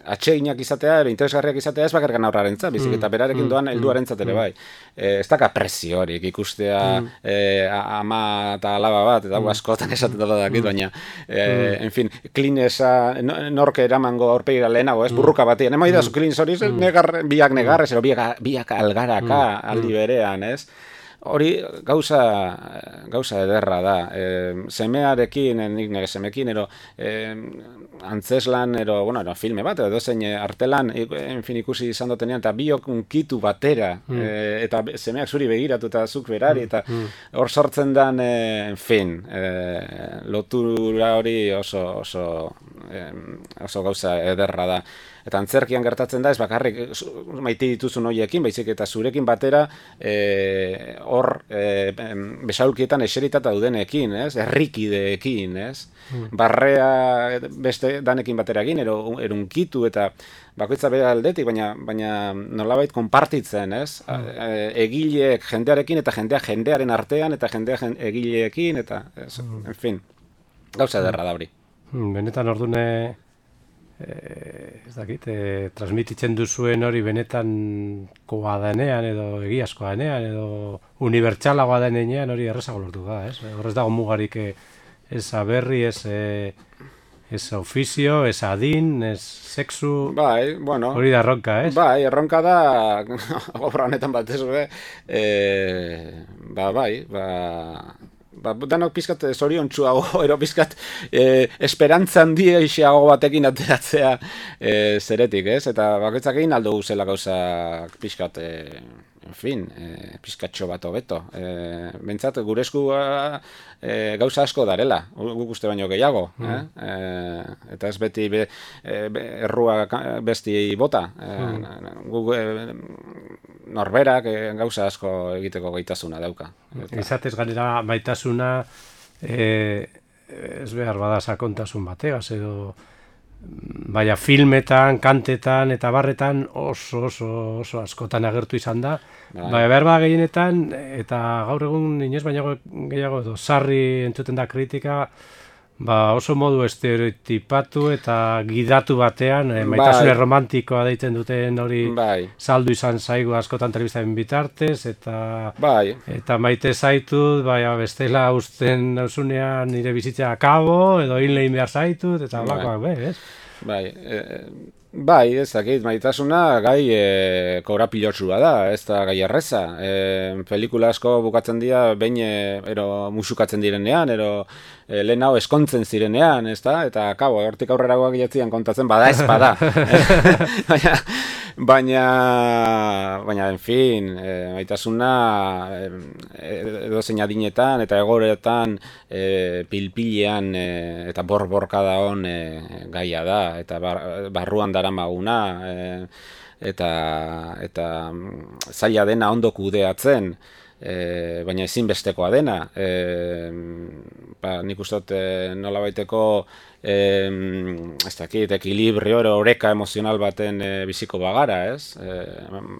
atseginak izatea, ero, interesgarriak izatea ez bakarkan aurrarentzat, bizik, eta berarekin doan helduarentzat ere bai. E, ez daka presiorik ikustea mm. e, ama eta alaba bat, eta mm. askotan esaten dela dakit, baina, e, mm. en fin, klinesa, norke eramango aurpegira lehenago, ez, burruka batean, ema idazu klines hori, negar, biak negarrez, ero, biak, biak algaraka aldi berean, ez? Hori gauza, gauza ederra da. E, semearekin, nik nire semekin, ero, e, antzeslan, ero, bueno, ero, filme bat, edo zein artelan, en fin, ikusi izan dotenean, eta biok unkitu batera, mm. e, eta semeak zuri begiratu eta zuk berari, eta hor sortzen den, e, en fin, e, lotura hori oso, oso, e, oso gauza ederra da. Eta antzerkian gertatzen da, ez bakarrik maite dituzun horiekin, baizik eta zurekin batera hor e, e, besaulkietan eseritata dudenekin, ez? Herrikideekin, ez? Mm. Barrea beste danekin batera egin, ero, erunkitu eta bakoitza bere aldetik, baina, baina nolabait konpartitzen, ez? Mm. Egileek jendearekin eta jendea jendearen artean eta jendea egileekin, eta, ez, mm. en fin, gauza ederra da hori. Benetan ordune... Eh, ez dakit, eh, transmititzen duzuen hori benetan koa denean edo egiazkoa denean edo unibertsalagoa denean hori errezago lortu da, ez? Horrez dago mugarik eh, ez aberri, ez, eh, ez ofizio, ez adin, ez sexu, bai, bueno, hori da erronka, ez? Bai, erronka da, obra honetan bat ez, eh, ba, bai, ba... Ba, danok pizkat zoriontsuago, ero pizkat eh, esperantza handia isiago batekin ateratzea eh, zeretik, ez? Eta bakoitzak egin aldo guzela gauza pizkat, eh, en fin, eh, pizkatxo bat hobeto. Eh, bentsat, gure esku eh, gauza asko darela, guk uste baino gehiago. Mm. Eh? Eh, eta ez beti be, be, errua besti bota. Eh, mm. Guk eh, norberak eh, gauza asko egiteko gaitasuna dauka. Eta... Izatez ganera maitasuna eh, ez behar bada sakontasun bategaz edo baina filmetan, kantetan eta barretan oso oso oso askotan agertu izan da. Baina behar bada gehienetan eta gaur egun inoiz baina gehiago edo sarri entzuten da kritika, ba oso modu estereotipatu eta gidatu batean, eh, maitasune bai. Romantikoa deitzen duten hori bai. Saldu izan zaigu askotan telebistaren bitartez, eta bai. Eta maite zaitut, bai, bestela usten nire bizitzea akabo, edo hil lehin behar zaitut, eta blakoak bai. Be, ez? Bai, e, Bai, ez dakit, maitasuna gai e, korapilotsua da, ez da gai erreza. E, pelikula asko bukatzen dira, behin e, ero musukatzen direnean, ero e, lehen hau eskontzen zirenean, ez da? Eta, kabo, hortik aurreragoak jatzian kontatzen, bada ez bada. baina, baina, baina, en fin, e, maitasuna e, edo zein adinetan eta egoretan e, pilpilean e, eta borborka da hon e, gaia da, eta bar, barruan daramaguna e, eta eta zaila dena ondo kudeatzen, e, baina ezinbestekoa dena. E, ba, nik uste dut e, nolabaiteko e, ez dakit, ekilibrio oreka emozional baten e, biziko bagara, ez? E,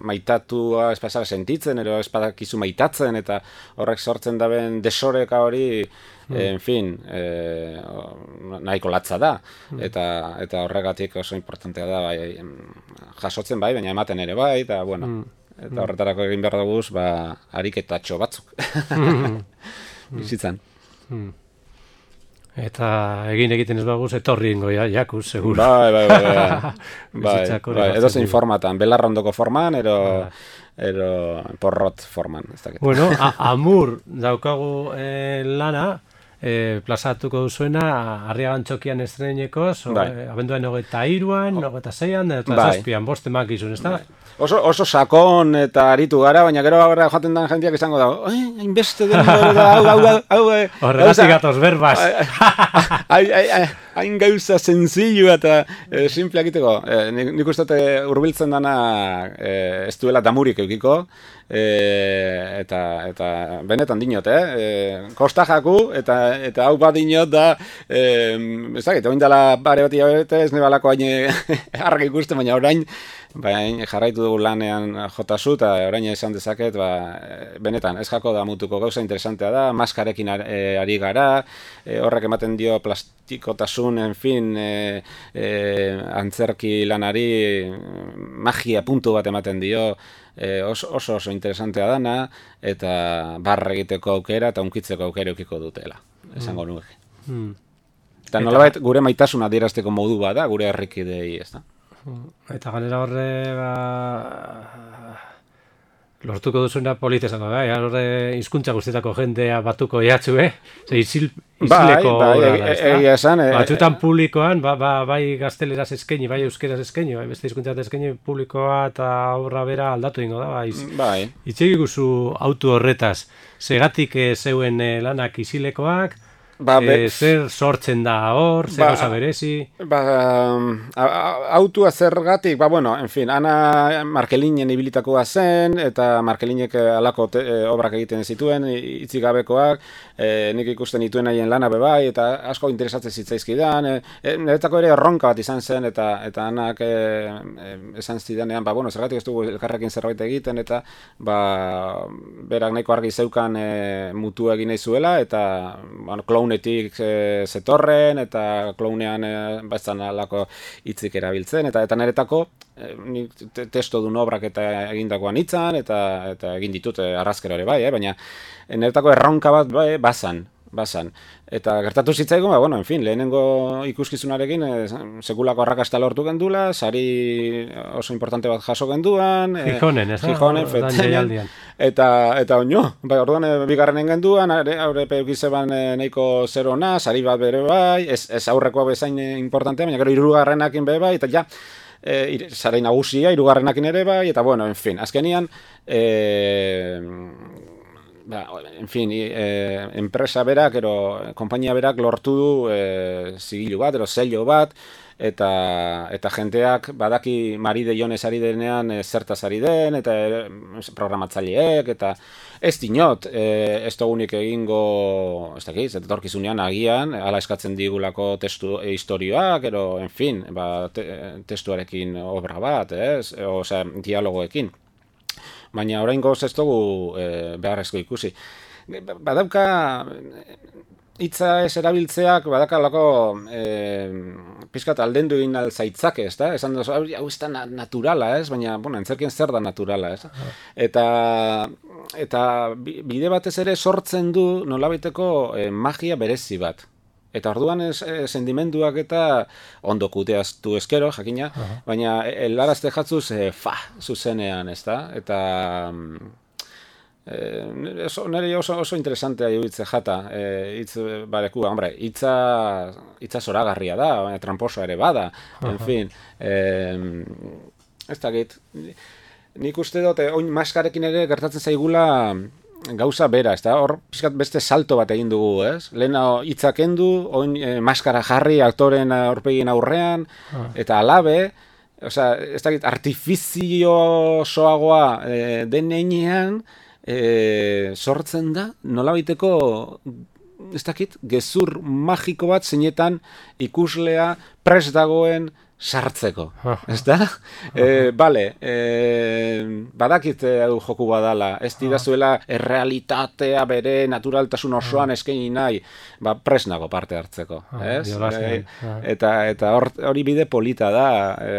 maitatua ez pasara sentitzen, ero ez badakizu maitatzen, eta horrek sortzen daben desoreka hori, en fin, eh, nahiko latza da, eta eta horregatik oso importantea da, bai, jasotzen bai, baina ematen ere bai, eta bueno, eta horretarako egin behar dugu, ba, ariketatxo batzuk. Bizitzan. Eta egin egiten ez baguz, etorri ingo ja, jakuz, seguro. Bai, bai, bai, bai, bai, bai, edo zein formatan, belarrondoko forman, ero... ero porrot forman, ez dakit. Bueno, Amur daukagu eh, lana, eh, plazatuko duzuena, Arriagan txokian estrenekoz, bai. Abenduan hogeita iruan, hogeita zeian, eta bai. Zazpian, bost emakizun, ez da? Bai. Oso, oso sakon eta aritu gara, baina gero gara joaten den jendeak izango da, hainbeste den, hau, hau, hau, horregatik gatoz berbaz. Hain gauza senzillu eta e, simple egiteko. E, nik, nik uste hurbiltzen dana e, ez duela damurik eukiko, e, eta, eta benetan dinot, eh? E, kosta jaku, eta, eta hau bat dinot da, e, ez dakit, oin dela bare bat iabete, ez nebalako hain argi ikusten, baina orain, bain jarraitu dugu lanean jotazu, eta orain esan dezaket, ba, benetan, ez jako da mutuko gauza interesantea da, maskarekin ari gara, e, horrek ematen dio plastikotasun, en fin, e, e, antzerki lanari magia puntu bat ematen dio, e, oso, oso oso interesantea dana, eta barra egiteko aukera eta unkitzeko aukera eukiko dutela, esango mm. nuke. Mm. Eta nolabait gure maitasuna adierazteko modu bat da, gure herrikidei, ez da? Eta ganera horre, ba, lortuko duzuna politezako, bai, horre hizkuntza guztietako jendea batuko jatzu, eh? Ze izil, izileko bai, bai, e, e, e, esan, e, batzutan publikoan, ba, ba, bai gazteleraz eskaini, bai euskeraz eskaini, bai beste hizkuntzat eskaini, publikoa eta obra bera aldatu ingo da, bai. Bai. Itxegi guzu autu horretaz, segatik e, zeuen e, lanak izilekoak, Ba, e, zer sortzen da hor, zer ba, goza berezi? Ba, autua zergatik, ba, bueno, en fin, ana Markelinen ibilitakoa zen, eta Markelinek alako te, e, obrak egiten zituen, hitzik gabekoak, e, nik ikusten dituen haien lana bebai, eta asko interesatzen zitzaizkidan, e, e, niretzako ere erronka bat izan zen, eta eta anak e, e, esan zidanean, ba, bueno, zergatik ez dugu elkarrekin zerbait egiten, eta ba, berak nahiko argi zeukan e, mutu egin nahi zuela, eta bueno, klaunetik e, zetorren, eta klaunean e, baizan alako hitzik erabiltzen, eta eta niretako e, nik testo duen obrak eta egindakoan hitzan, eta eta egin ditut e, arrazkero ere bai, eh? Baina niretako erronka bat bai, bazan, bazan. Eta gertatu zitzaigun, ba, bueno, en fin, lehenengo ikuskizunarekin e, sekulako arrakasta lortu gendula, sari oso importante bat jaso genduan. Gijonen, ez da? Gijonen, fetzen. Eta, eta oino, bai, orduan e, bigarrenen genduan, aurre peukizeban e, neiko zerona, sari bat bere bai, ez, ez aurrekoa bezain importantea, baina gero hirugarrenakin bere bai, eta ja, e, sarei nagusia, hirugarrenakin ere bai, eta bueno, en fin, azkenian, e, ba, en fin, e, enpresa berak, ero, konpainia berak lortu du e, zigilu bat, ero zello bat, eta eta jenteak badaki Maride Jones ari denean e, zertaz ari den, eta e, programatzaileek, eta ez dinot, e, ez dugunik egingo, ez dakiz, eta torkizunean agian, ala eskatzen digulako testu e, historioak, ero, en fin, ba, te, testuarekin obra bat, ez, e, osea, dialogoekin. Baina oraingoz ez dugu e, beharrezko ikusi. Badauka, hitza ez erabiltzeak, badakalako e, pizkat aldendu egin alzaitzake, ez da? Esan dozu, hau ez da naturala, ez? Baina, bueno, entzerkien zer da naturala, ez? Eta, eta bide batez ere sortzen du nolabaiteko e, magia berezi bat. Eta orduan ez, e, sendimenduak eta ondo kuteaztu eskero, jakina, uh-huh. baina helarazte jatzuz, e, fa, zuzenean, ez da? Eta... Eh, oso, nire oso, oso interesantea iruditzen jata, eh, hitz bareku, hombre, hitza hitza zoragarria da, baina tramposa ere bada, uh-huh. en fin, eh, ez dakit, nik uste dut, oin maskarekin ere gertatzen zaigula gauza bera, ez da, hor pixkat beste salto bat egin dugu, ez? Lehena hitza kendu, oin eh, maskara jarri aktoren aurpegin aurrean, uh-huh. eta alabe, osea, ez dakit, artifizio soagoa eh, den einean, E, sortzen da, nolabaiteko ez dakit, gezur magiko bat zeinetan ikuslea prest dagoen sartzeko, ez da? E, bale, e, badakit hau joku badala, ez didazuela errealitatea bere naturaltasun osoan eskaini nahi, ba, prest nago parte hartzeko, ez? E, eta eta hori bide polita da, e,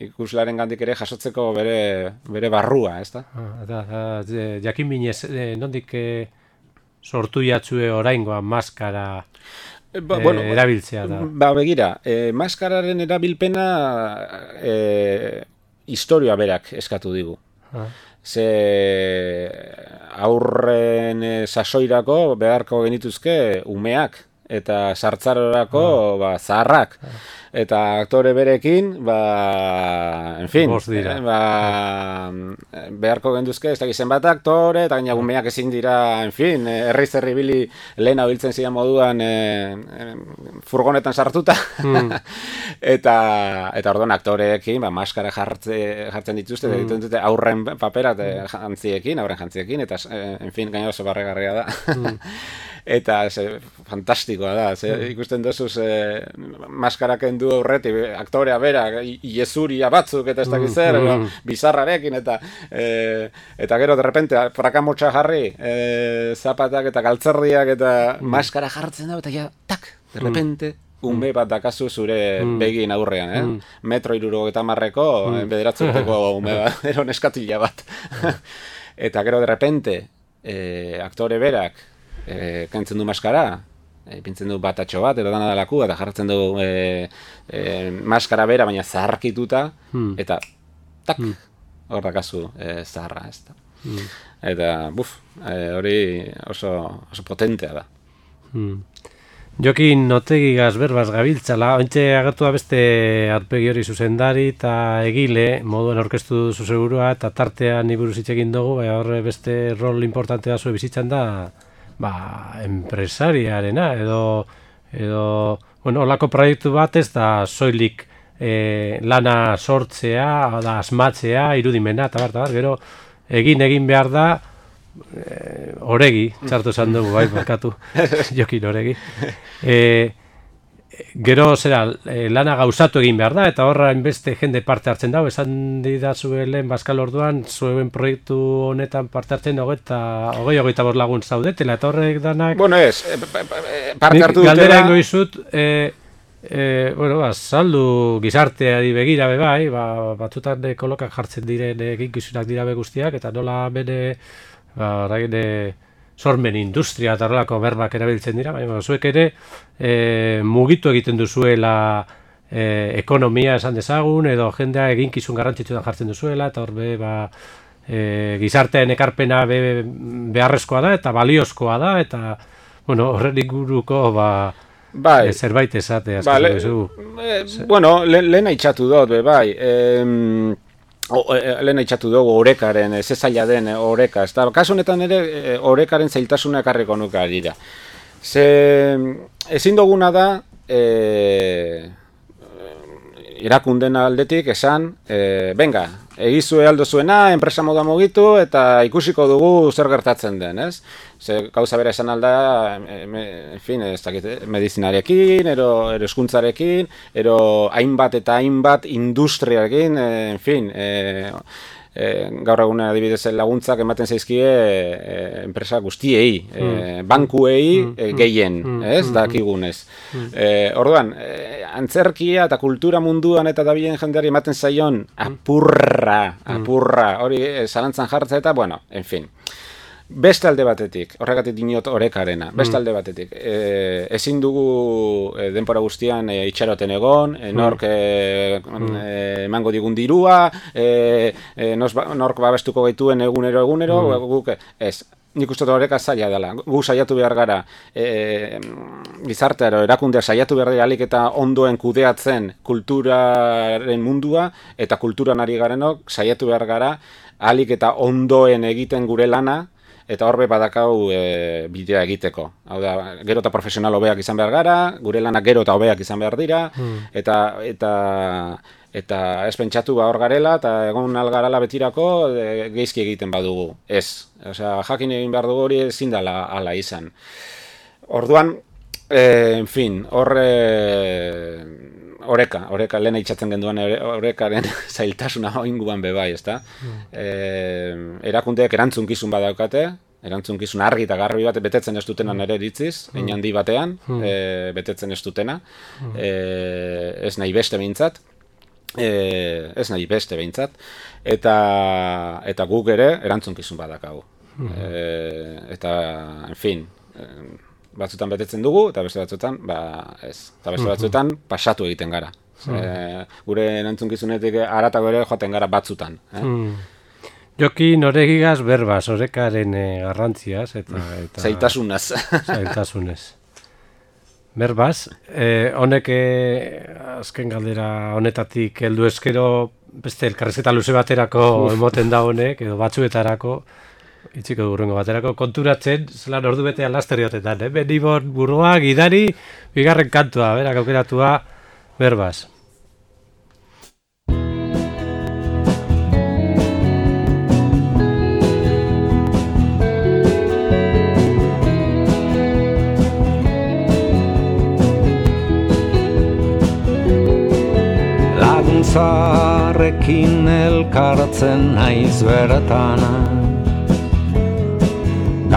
ikuslaren gandik ere jasotzeko bere, bere barrua, ez da? Eta, jakin binez, nondik sortu jatzue oraingoa maskara... Ba, bueno, e, erabiltzea da. Ba, begira, e, maskararen erabilpena e, historia berak eskatu digu. Ah. Ze aurren e, sasoirako beharko genituzke umeak eta sartzarorako ah. ba, zaharrak. Ah. Eta aktore berekin, ba, en fin, eh, ba, beharko genduzke, ez dakizen bat aktore, eta gaina gumeak ezin dira, en fin, herriz herri bili lehena biltzen zidan moduan eh, eh, furgonetan sartuta. Mm. eta eta orduan aktoreekin, ba, maskara jartze, jartzen dituzte, mm. dituzte aurren papera jantziekin, aurren jantziekin, eta, eh, en fin, gaina oso barregarria da. Mm. Eta ze, fantastikoa da, ze, ikusten duzuz eh, maskaraken du aurretik, aktorea bera, iezuria batzuk eta ez dakiz zer, mm. bizarrarekin, eta eh, eta gero de repente prakamotxa jarri, eh, zapatak eta galtzerdiak eta mm. maskara jartzen da, eta ja, tak, de repente, mm. ume bat dakazu zure mm. begin aurrean, eh? Mm. Metro iruro eta marreko, mm. bederatzuteko ume bat, ero neskatila bat. Eta gero de repente, eh, aktore berak, E, kentzen du maskara, e, pintzen du batatxo bat, edo dana dalaku, eta jartzen du e, e, maskara bera, baina zaharkituta, hmm. eta tak, hmm. hor dakazu e, zaharra, ez da. Hmm. Eta, buf, e, hori oso, oso potentea da. Hmm. Jokin Otegigaz berbaz gabiltzala, ointxe agertu da beste arpegi hori zuzendari eta egile, moduen orkestu duzu segurua, eta tartean iburuz hitz egin dugu, baina horre beste rol importante da zuen bizitzan da, ba, enpresariarena, edo, edo, bueno, olako proiektu bat ez da soilik e, lana sortzea, da asmatzea, irudimena, eta bar, eta bar, gero egin egin behar da, e, oregi, txartu esan dugu, bai, markatu, Jokin oregi. E, gero, zera, e, lana gauzatu egin behar da, eta horra inbeste jende parte hartzen dago, esan didazuen Baskal orduan, zuen proiektu honetan parte hartzen dago, eta hogei hogeita bost lagun zaudetela, eta horrek danak... Bueno, ez, parte hartu dutela... Galdera ingo izut, e, e, bueno, ba, saldu gizarteari begira be bai, ba, batzutan kolokak jartzen diren eginkizunak dira be guztiak, eta nola bene, ba, orain, sormen industria eta horrelako berbak erabiltzen dira, baina zuek ere e, mugitu egiten duzuela e, ekonomia esan dezagun, edo jendea eginkizun garrantzitsuan jartzen duzuela, eta horbe ba, e, gizartean ekarpena be, beharrezkoa da, eta baliozkoa da, eta bueno, horren inguruko ba, bai. e, zerbait esate. Ba, le, e, bueno, le, lehen haitxatu dut, be, bai, em... O, e, lehen eitxatu dugu orekaren, ze zaila den oreka, ez da, kasu honetan ere orekaren zailtasuna ekarriko nuke dira. Ze, ezin duguna da, e, irakunden aldetik esan, e, benga, egizue aldo zuena, enpresa moda mugitu, eta ikusiko dugu zer gertatzen den, ez? Ze, gauza bera esan alda, en fin, ez dakit, medizinarekin, ero, ero eskuntzarekin, ero hainbat eta hainbat industriarekin, en fin, e, e, gaur egun adibidez laguntzak ematen zaizkie e, enpresa guztiei, e, bankuei e, gehien, ez, dakigunez. E, orduan, e, antzerkia eta kultura munduan eta dabilen jendeari ematen zaion apurra, apurra, hori e, zalantzan jartza eta, bueno, en fin. Beste alde batetik, horregatik dinot orekarena, beste alde batetik, e, ezin dugu e, denpora guztian e, itxaroten egon, e, nork e, e, emango digun dirua, e, e, nork babestuko gaituen egunero egunero, mm. guk ez. Nik uste oreka zaila dela. Gu saiatu behar gara, e, gizartearo, erakundea saiatu behar dira alik eta ondoen kudeatzen kulturaren mundua, eta kulturan ari garenok saiatu behar gara, alik eta ondoen egiten gure lana, eta horbe badakau e, bidea egiteko. Hau da, gero eta profesional hobeak izan behar gara, gure lanak gero eta hobeak izan behar dira, mm. eta, eta, eta ez pentsatu ba hor garela, eta egon algarala betirako e, geizki egiten badugu. Ez. Osea, jakin egin behar dugu hori ezin dela ala izan. Orduan, e, en fin, horre... Oreka, oreka, lehen itxatzen genduan orekaren zailtasuna oinguan bebai, ezta? Mm. E, erakundeek erantzunkizun badaukate, erantzunkizun argi eta garbi bat betetzen ez dutena nere iritziz, mm. hein handi batean, mm. e, betetzen ez dutena, mm. e, ez nahi beste behintzat, e, ez nahi beste behintzat, eta, eta guk ere erantzunkizun badakagu. Mm. E, eta, en fin, e, batzutan betetzen dugu, eta beste batzutan, ba, ez. Eta beste batzutan, pasatu egiten gara. Mm. E, gure erantzunkizunetik haratago ere joaten gara batzutan. Eh? Mm. Joki noregigaz berbaz, orekaren e, garrantziaz, eta... eta zailtasunaz. Zailtasunez. Berbaz, e, honek e, azken galdera honetatik heldu eskero, beste elkarrizketa luze baterako emoten da honek, edo batzuetarako, itxiko durrengo baterako konturatzen, zelan ordu betean laster jotetan, eh? Benibon burua, gidari, bigarren kantua, berak aukeratua, berbaz. Laguntzarekin elkartzen naiz bertana,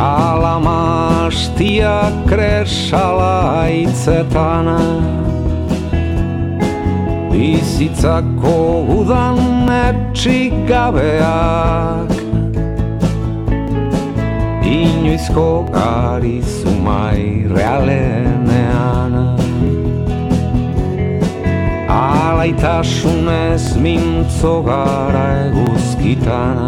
Kalamastia kresala aitzetana, bizitzako udan etxik gabeak, inoizko garizumai realenean. Alaitasunez mintzo gara eguzkitana,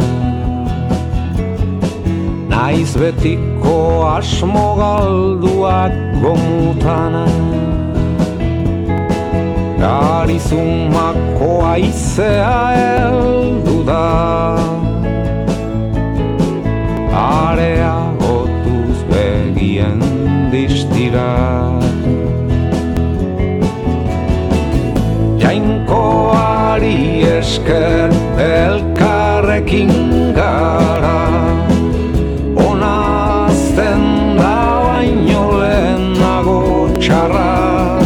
naiz betiko asmo galduak gomutana, garizumako aizea heldu da, area gotuz begien distira. Jainkoari esker elkarrekin gara, onazten da baino lehenago txarra.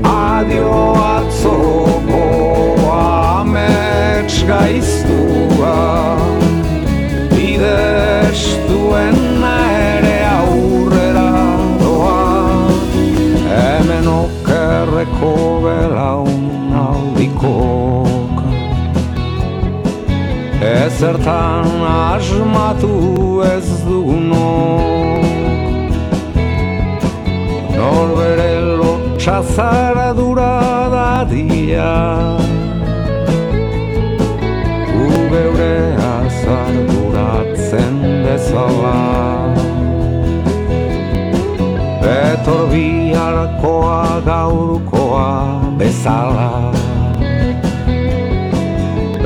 Adio atzoko amets gaiztua, bidestuen ere aurrera doa, hemen okerreko belaunaldikok. Ezertan asmatu ez dugunok, norbere lotxazara dura dadia, gu geure azarduratzen bezala. Betor biharkoa gaurkoa bezala,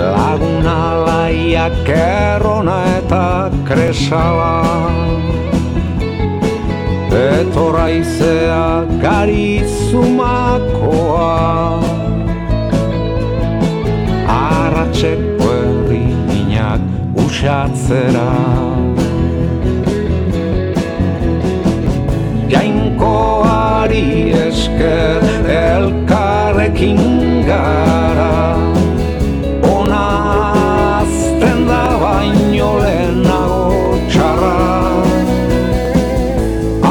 laguna laiak errona eta kresala, betor aizea garizumakoa, arratxeko herri minak usatzera. Jainkoari esker elkarrekin gara, onazten da baino lehenago txarra.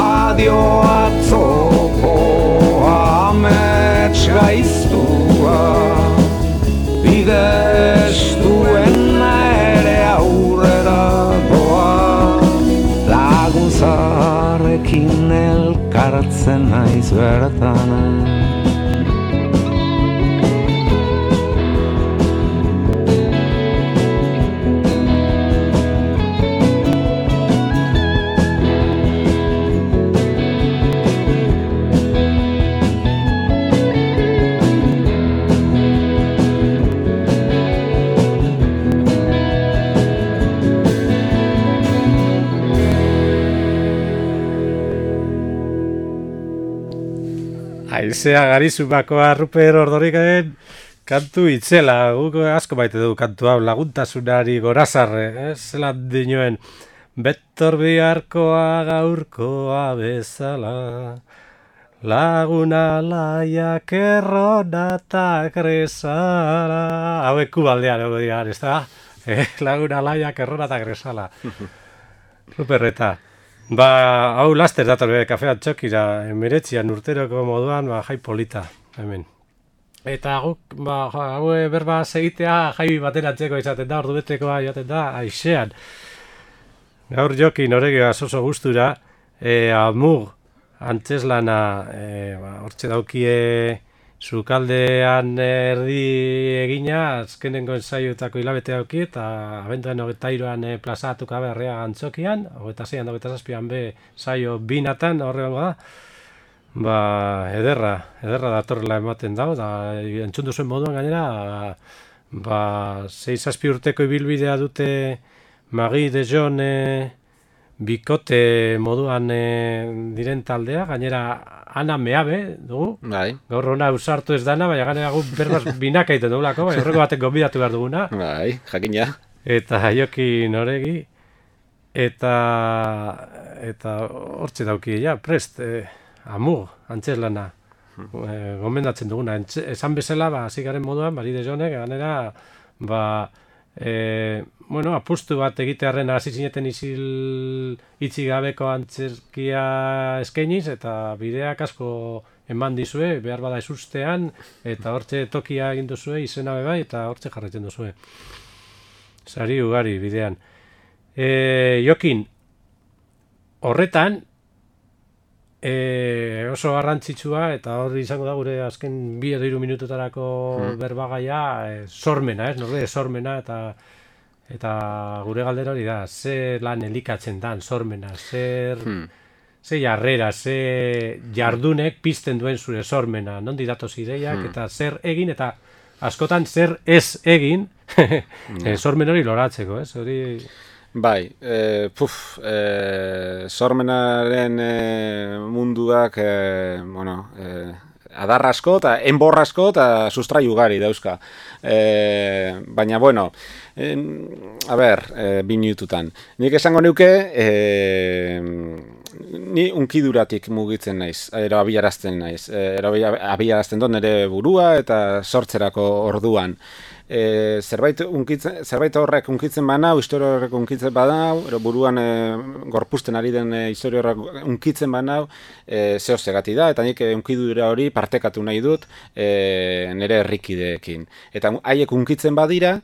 Adio atzoko amets gaiztua, bidestuen ere aurrera doa. kokatzen naiz bertan. Aizea Garizumakoa Ruper Ordorikaren kantu itzela, guk asko baite du kantu hau, laguntasunari gorazarre, eh? Zelan dinoen, betor biharkoa gaurkoa bezala, laguna laiak errona eta kresala. Hauek kubaldean, hau dira, ez da? Eh, laguna laiak errona eta kresala. Ruperreta. Ba, hau laster dator bere kafean txokira, emiretzian urteroko moduan, ba, jai polita, hemen. Eta guk, ba, hau berba segitea jai bateratzeko izaten da, ordu betekoa jaten da, aixean. Gaur jokin horregioa oso gustura, e, amug, antzeslana, e, ba, hortxe daukie sukaldean erdi egina, azkenengo ensaioetako hilabete dauki, eta abenduan hogeita hiruan e, plazatuka berrea antzokian, hogeita zeian, hogeita zazpian be saio binatan, horregongo da, ba, ederra, ederra datorrela ematen dau, da, entzun duzuen moduan gainera, ba, zei zazpi urteko ibilbidea dute Magi de Jon e, bikote moduan e, diren taldea, gainera Ana Meabe dugu, bai. Gaur hona usartu ez dana, baina gainera gu berbaz binak egiten dugulako, bai, horreko batek gonbidatu behar duguna. Bai, jakina. Eta Jokin Oregi, eta eta hortxe dauki, ja, prest, e, amug, antzeslana, e, gomendatzen duguna. Entz, esan bezala, ba, zigaren moduan, Mari de Jonek, gainera, ba, e, bueno, apustu bat egitearren hasi zineten isil itxi gabeko antzerkia eskainiz, eta bideak asko eman dizue, behar bada ezustean, eta hortxe tokia egin duzue, izena bebai, eta hortxe jarraitzen duzue. Sari ugari bidean. E, Jokin, horretan, e, oso garrantzitsua, eta hor izango da gure azken bi edo hiru minututarako hmm. berbagaia, e, sormena, ez, norde, sormena, eta eta gure galdera hori da, ze lan elikatzen dan sormena, zer, hmm. ze jarrera, ze jardunek pizten duen zure sormena, nondi datoz ideiak, hmm. eta zer egin, eta askotan zer ez egin, e, sormen hori loratzeko, ez, hori... Bai, e, puf, e, sormenaren e, munduak, e, bueno, e, adar asko eta enbor asko eta sustrai ugari dauzka. E, baina, bueno, e, a ber, e, bi minututan. Nik esango neuke, e, ni unkiduratik mugitzen naiz, ero abiarazten naiz. Ero abiarazten dut nire burua eta sortzerako orduan. E, zerbait, unkitzen, zerbait horrek unkitzen banau, historia horrek unkitzen banau, ero buruan e, gorpusten ari den e, historia horrek unkitzen banau, e, zeo segati da, eta nik e, unkidura hori partekatu nahi dut e, nire herrikideekin. Eta haiek unkitzen badira,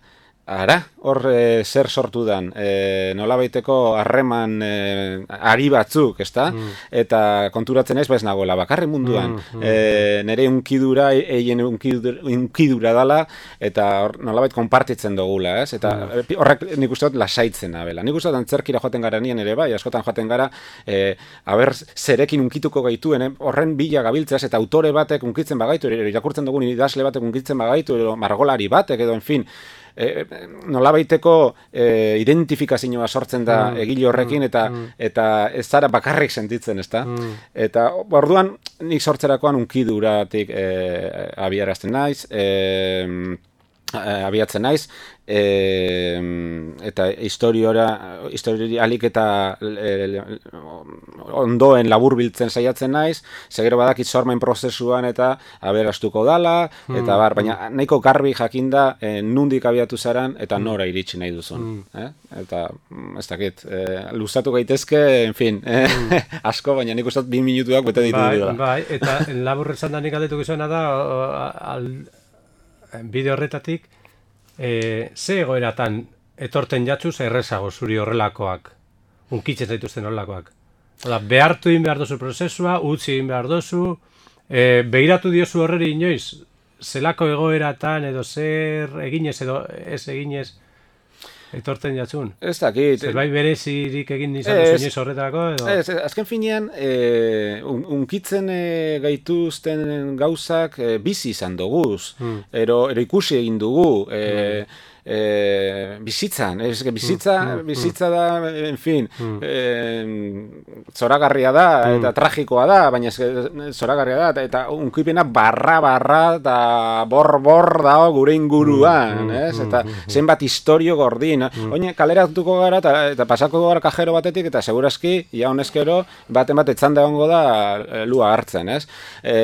ara, hor e, zer sortu dan, e, nolabaiteko harreman e, ari batzuk, ezta? Mm. Eta konturatzen ez, ba ez nagoela, bakarri munduan. Mm, mm, e, nire unkidura, eien unkidura, unkidura dala, eta hor, nolabait konpartitzen dugula, ez? Eta mm. horrek nik uste dut lasaitzen abela. Nik uste dut antzerkira joaten gara nien ere bai, askotan joaten gara, e, aber zerekin unkituko gaituen, eh? Horren bila gabiltzeaz, eta autore batek unkitzen bagaitu, irakurtzen dugun idazle batek unkitzen bagaitu, edo margolari batek, edo, en fin, E, nolabaiteko e, identifikazioa sortzen da mm, egile horrekin eta mm, eta ez zara bakarrik sentitzen, ezta? Mm. Eta orduan nik sortzerakoan unkiduratik e, abiarazten naiz, e, abiatzen naiz, e, eta historiora histori alik eta e, ondoen laburbiltzen saiatzen naiz, segero badakit sormen prozesuan eta aberastuko dala, mm, eta bar, baina nahiko garbi jakinda e, nundik abiatu zaran eta nora iritsi nahi duzun. Mm. Eh? Eta ez dakit, e, luzatu gaitezke, en fin, eh? mm. asko, baina nik uste bi minutuak bete ditu bai, dira. Bai, eta labur esan da nik aldetuko zuena da, al, bideo horretatik, e, ze egoeratan etorten jatzuz errezago zuri horrelakoak, unkitzen zaituzten horrelakoak. Oda, behartu egin behar dozu prozesua, utzi egin behar dozu, e, behiratu diozu horreri inoiz, zelako egoeratan edo zer eginez edo ez eginez etortzen jatzun. Ez dakit. Zerbait berezirik egin izan duzu inoiz horretako edo? Ez, azken finean, e, un, unkitzen e, gaituzten gauzak e, bizi izan duguz, hmm. ero, ero ikusi egin dugu, e, hmm. E, bizitzan, ez, bizitza, mm, mm, bizitza da, en fin, mm. e, zoragarria da, mm. eta tragikoa da, baina ez, zoragarria da, eta unkipena barra-barra eta bor-bor dago gure inguruan, mm, ez, eta mm, zenbat historio gordin, mm. oine, kaleratuko gara, eta, eta pasako gara kajero batetik, eta segurazki, ja honezkero, baten bat etzanda egongo da lua hartzen, ez, e,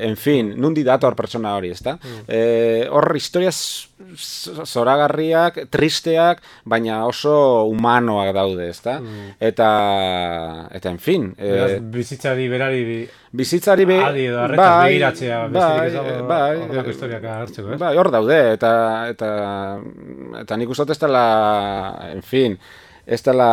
en fin, nundi dator pertsona hori, ez da, mm. e, hor historiaz zoragarriak, tristeak, baina oso humanoak daude, ezta? Mm. Eta, eta en fin. E, bizitzari berari... Bizitzari be... Adi edo arretaz bai, begiratzea, besterik ez dago bai, horrelako historiak hartzeko, eh? Bai, hor daude, eta, eta, eta nik uste ez dela, en fin, ez dela...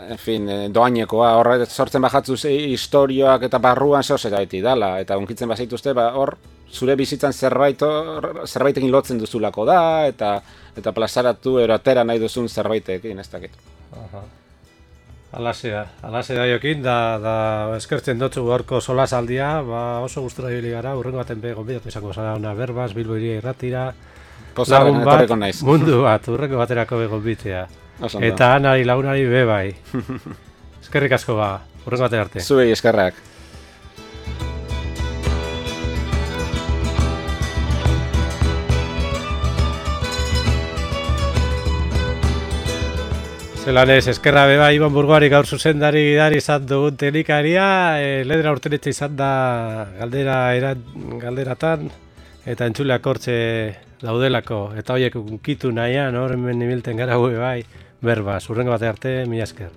En fin, doainekoa, hor sortzen bajatzuz historioak eta barruan zehose gaiti dala, eta unkitzen bazaituzte, ba, hor, zure bizitzan zerbait, zerbaitekin lotzen duzulako da, eta eta plazaratu erotera nahi duzun zerbaitekin, ez dakit. Alase da, alase da jokin, da, da eskertzen dutzu gorko solasaldia, ba, oso gustura ibili gara, urrengo baten be gonbidatu izango zara una berbaz, Bilbo Hiria Irratira, lagun bat, mundu bat, urrengo baterako be gonbitea. Eta anari lagunari be bai. Eskerrik asko ba, urrengo batera arte. Zuei eskerrak. Zelan ez, eskerra beba, Ibon Burgoari gaur zuzendari gidari izan dugun teknikaria, e, ledera urtenetxe izan da galdera era, galderatan, eta entzuleak hortxe daudelako, eta horiek unkitu nahian, hor hemen ibilten gara bai, berbaz, urrengo bate arte, mila esker.